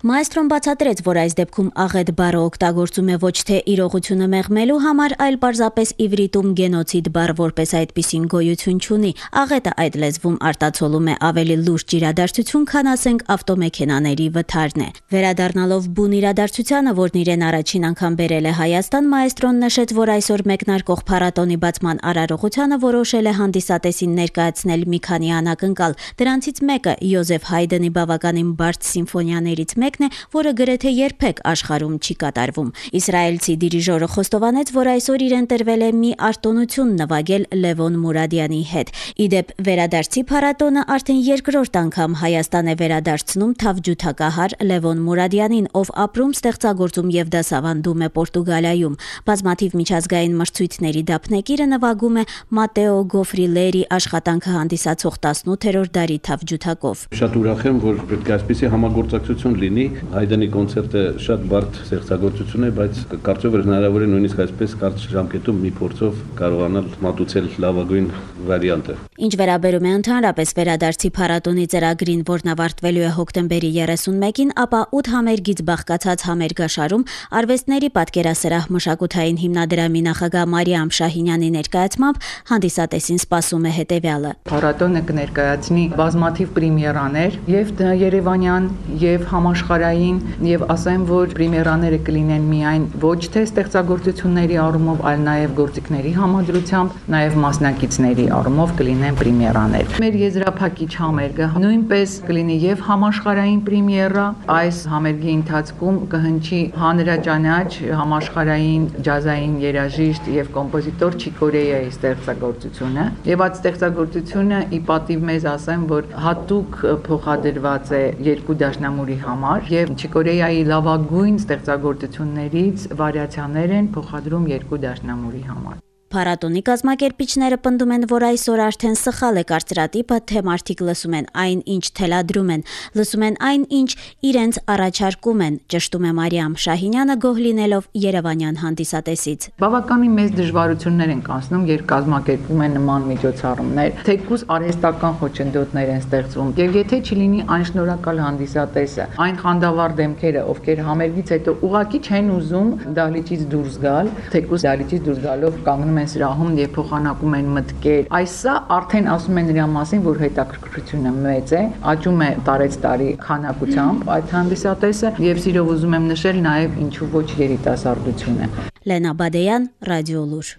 Մաեստրոն բացատրեց, որ այս դեպքում աղետ բառը օգտագործում է ոչ թե իրողությունը մեղմելու համար, այլ պարզապես իվրիտում գենոցիդ բառ որպես այդպիսին գոյություն չունի։ Աղետը այդ լեզվում արտացոլում է ավելի լուրջ իրադարձություն, քան ասենք ավտոմեքենաների վթարն է։ Վերադառնալով բուն իրադարձությանը, որն իրեն առաջին անգամ բերել է Հայաստան, մաեստրոն նշեց, որ այսօր մեկնարկող փառատոնի բացման արարողությանը որոշել է հանդիսատեսին ներկայացնել մի քանի անակնկալ։ Դրանցից մեկը Յոզեֆ Հայդենի բավականին բարդ սիմֆոնիաներից մեկն է, որը գրեթե երբեք աշխարհում չի կատարվում։ Իսրայելցի դիրիժորը խոստովանեց, որ այսօր իրեն տրվել է մի արտոնություն նվագել Լևոն Մուրադյանի հետ։ Իդեպ վերադարձի փառատոնը արդեն երկրորդ անգամ Հայաստան է վերադարձնում թավջութակահար Լևոն Մուրադյանին, ով ապրում, ստեղծագործում եւ դասավանդում է Պորտուգալիայում։ Բազմաթիվ միջազգային մրցույթների դափնեկիրը նվագում է Մատեո Գոֆրիլերի աշխատանքը հանդիսացող 18-րդ դարի թավջութակով։ Շատ ուրախ եմ, որ պետք է այսպիսի համագործակցություն լինի։ Հայդենի կոնցերտը շատ բարդ ստեղծագործություն է, բայց կարծում եմ հնարավոր է նույնիսկ այսպես կարճ ժամկետում մի փորձով կարողանալ մատուցել լավագույն վարիանտը։ Ինչ վերաբերում է ընդհանրապես վերադարձի փառատոնի ծրագրին, որն ավարտվելու է հոկտեմբերի 31-ին, ապա 8 համերգից բաղկացած համերգաշարում արվեստների պատկերասրահ մշակութային հիմնադրամի նախագահ Մարիամ Շահինյանի ներկայացմամբ հանդիսատեսին սպասում է հետևյալը. Փառատոնը կներկայացնի բազմաթիվ պրեմիերաներ եւ երևանյան եւ համաշխարհային համաշխարհային եւ ասեմ, որ պրեմիերաները կլինեն միայն ոչ թե ստեղծագործությունների առումով, այլ նաեւ գործիքների համադրությամբ, նաեւ մասնակիցների առումով կլինեն պրեմիերաներ։ Մեր եզրափակիչ համերգը նույնպես կլինի եւ համաշխարհային պրեմիերա, այս համերգի ընթացքում կհնչի հանրաճանաչ համաշխարհային ջազային երաժիշտ եւ կոմպոզիտոր Չիկորեայի ստեղծագործությունը եւ այդ ստեղծագործությունը ի պատիվ մեզ ասեմ, որ հատուկ փոխադրված է երկու դաշնամուրի համար եւ Չիկորեայի լավագույն ստեղծագործություններից վարիացիաներ են փոխադրում երկու դաշնամուրի համար։ Փառատոնի կազմակերպիչները պնդում են, որ այսօր արդեն սխալ է կարծրատիպը, թե մարդիկ լսում են այն, ինչ թելադրում են, լսում են այն, ինչ իրենց առաջարկում են, ճշտում է Մարիամ Շահինյանը, գոհ լինելով երևանյան հանդիսատեսից։ Բավականին մեծ դժվարություններ են կանցնում, երբ կազմակերպում են նման միջոցառումներ, թեկուզ արհեստական խոչընդոտներ են ստեղծվում, եւ եթե չլինի այն շնորհակալ հանդիսատեսը, այն խանդավառ դեմքերը, ովքեր համերգից հետո ուղակի չեն ուզում դահլիճից դուրս գալ, թեկուզ դահլիճից դուրս գալով կանգնում են սրահում եւ փոխանակում են մտքեր։ Այսա արդեն ասում են նրա մասին, որ հետաքրքրությունը մեծ է, աճում է տարեցտարի քանակությամբ այդ հանդիսատեսը եւ սիրով ուզում եմ նշել նաեւ ինչու ոչ երիտասարդությունը։ Լենա Բադեյան, Ռադիոլուր։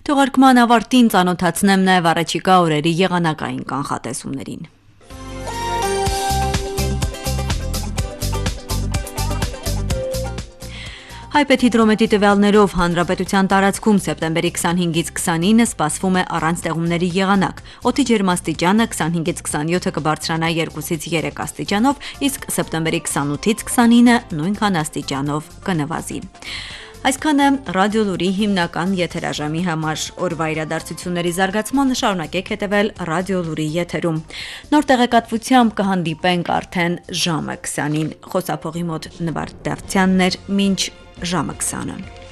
Թողարկման ավարտին ծանոթացնեմ նաեւ առաջիկա օրերի եղանակային կանխատեսումներին։ Հայպեթիդրոմետրի տվյալներով հանրապետության տարածքում սեպտեմբերի 25-ից 29-ը սպասվում է առանց տեղումների եղանակ։ Օդի ջերմաստիճանը 25-ից 27-ը կբարձրանա 2-ից 3 աստիճանով, իսկ սեպտեմբերի 28-ից 29-ը նույնքան աստիճանով կնվազի։ Այսքանը Ռադիոլուրի հիմնական եթերաժամի համար օրվա իրադարձությունների զարգացմանը շարունակեք հետևել Ռադիոլուրի եթերում։ Նոր տեղեկատվությամբ կհանդիպենք արդեն ժամը 20-ին։ Խոսափողի մոտ Նվարդ Դավթյանն էր, մինչ ժամը 20-ը։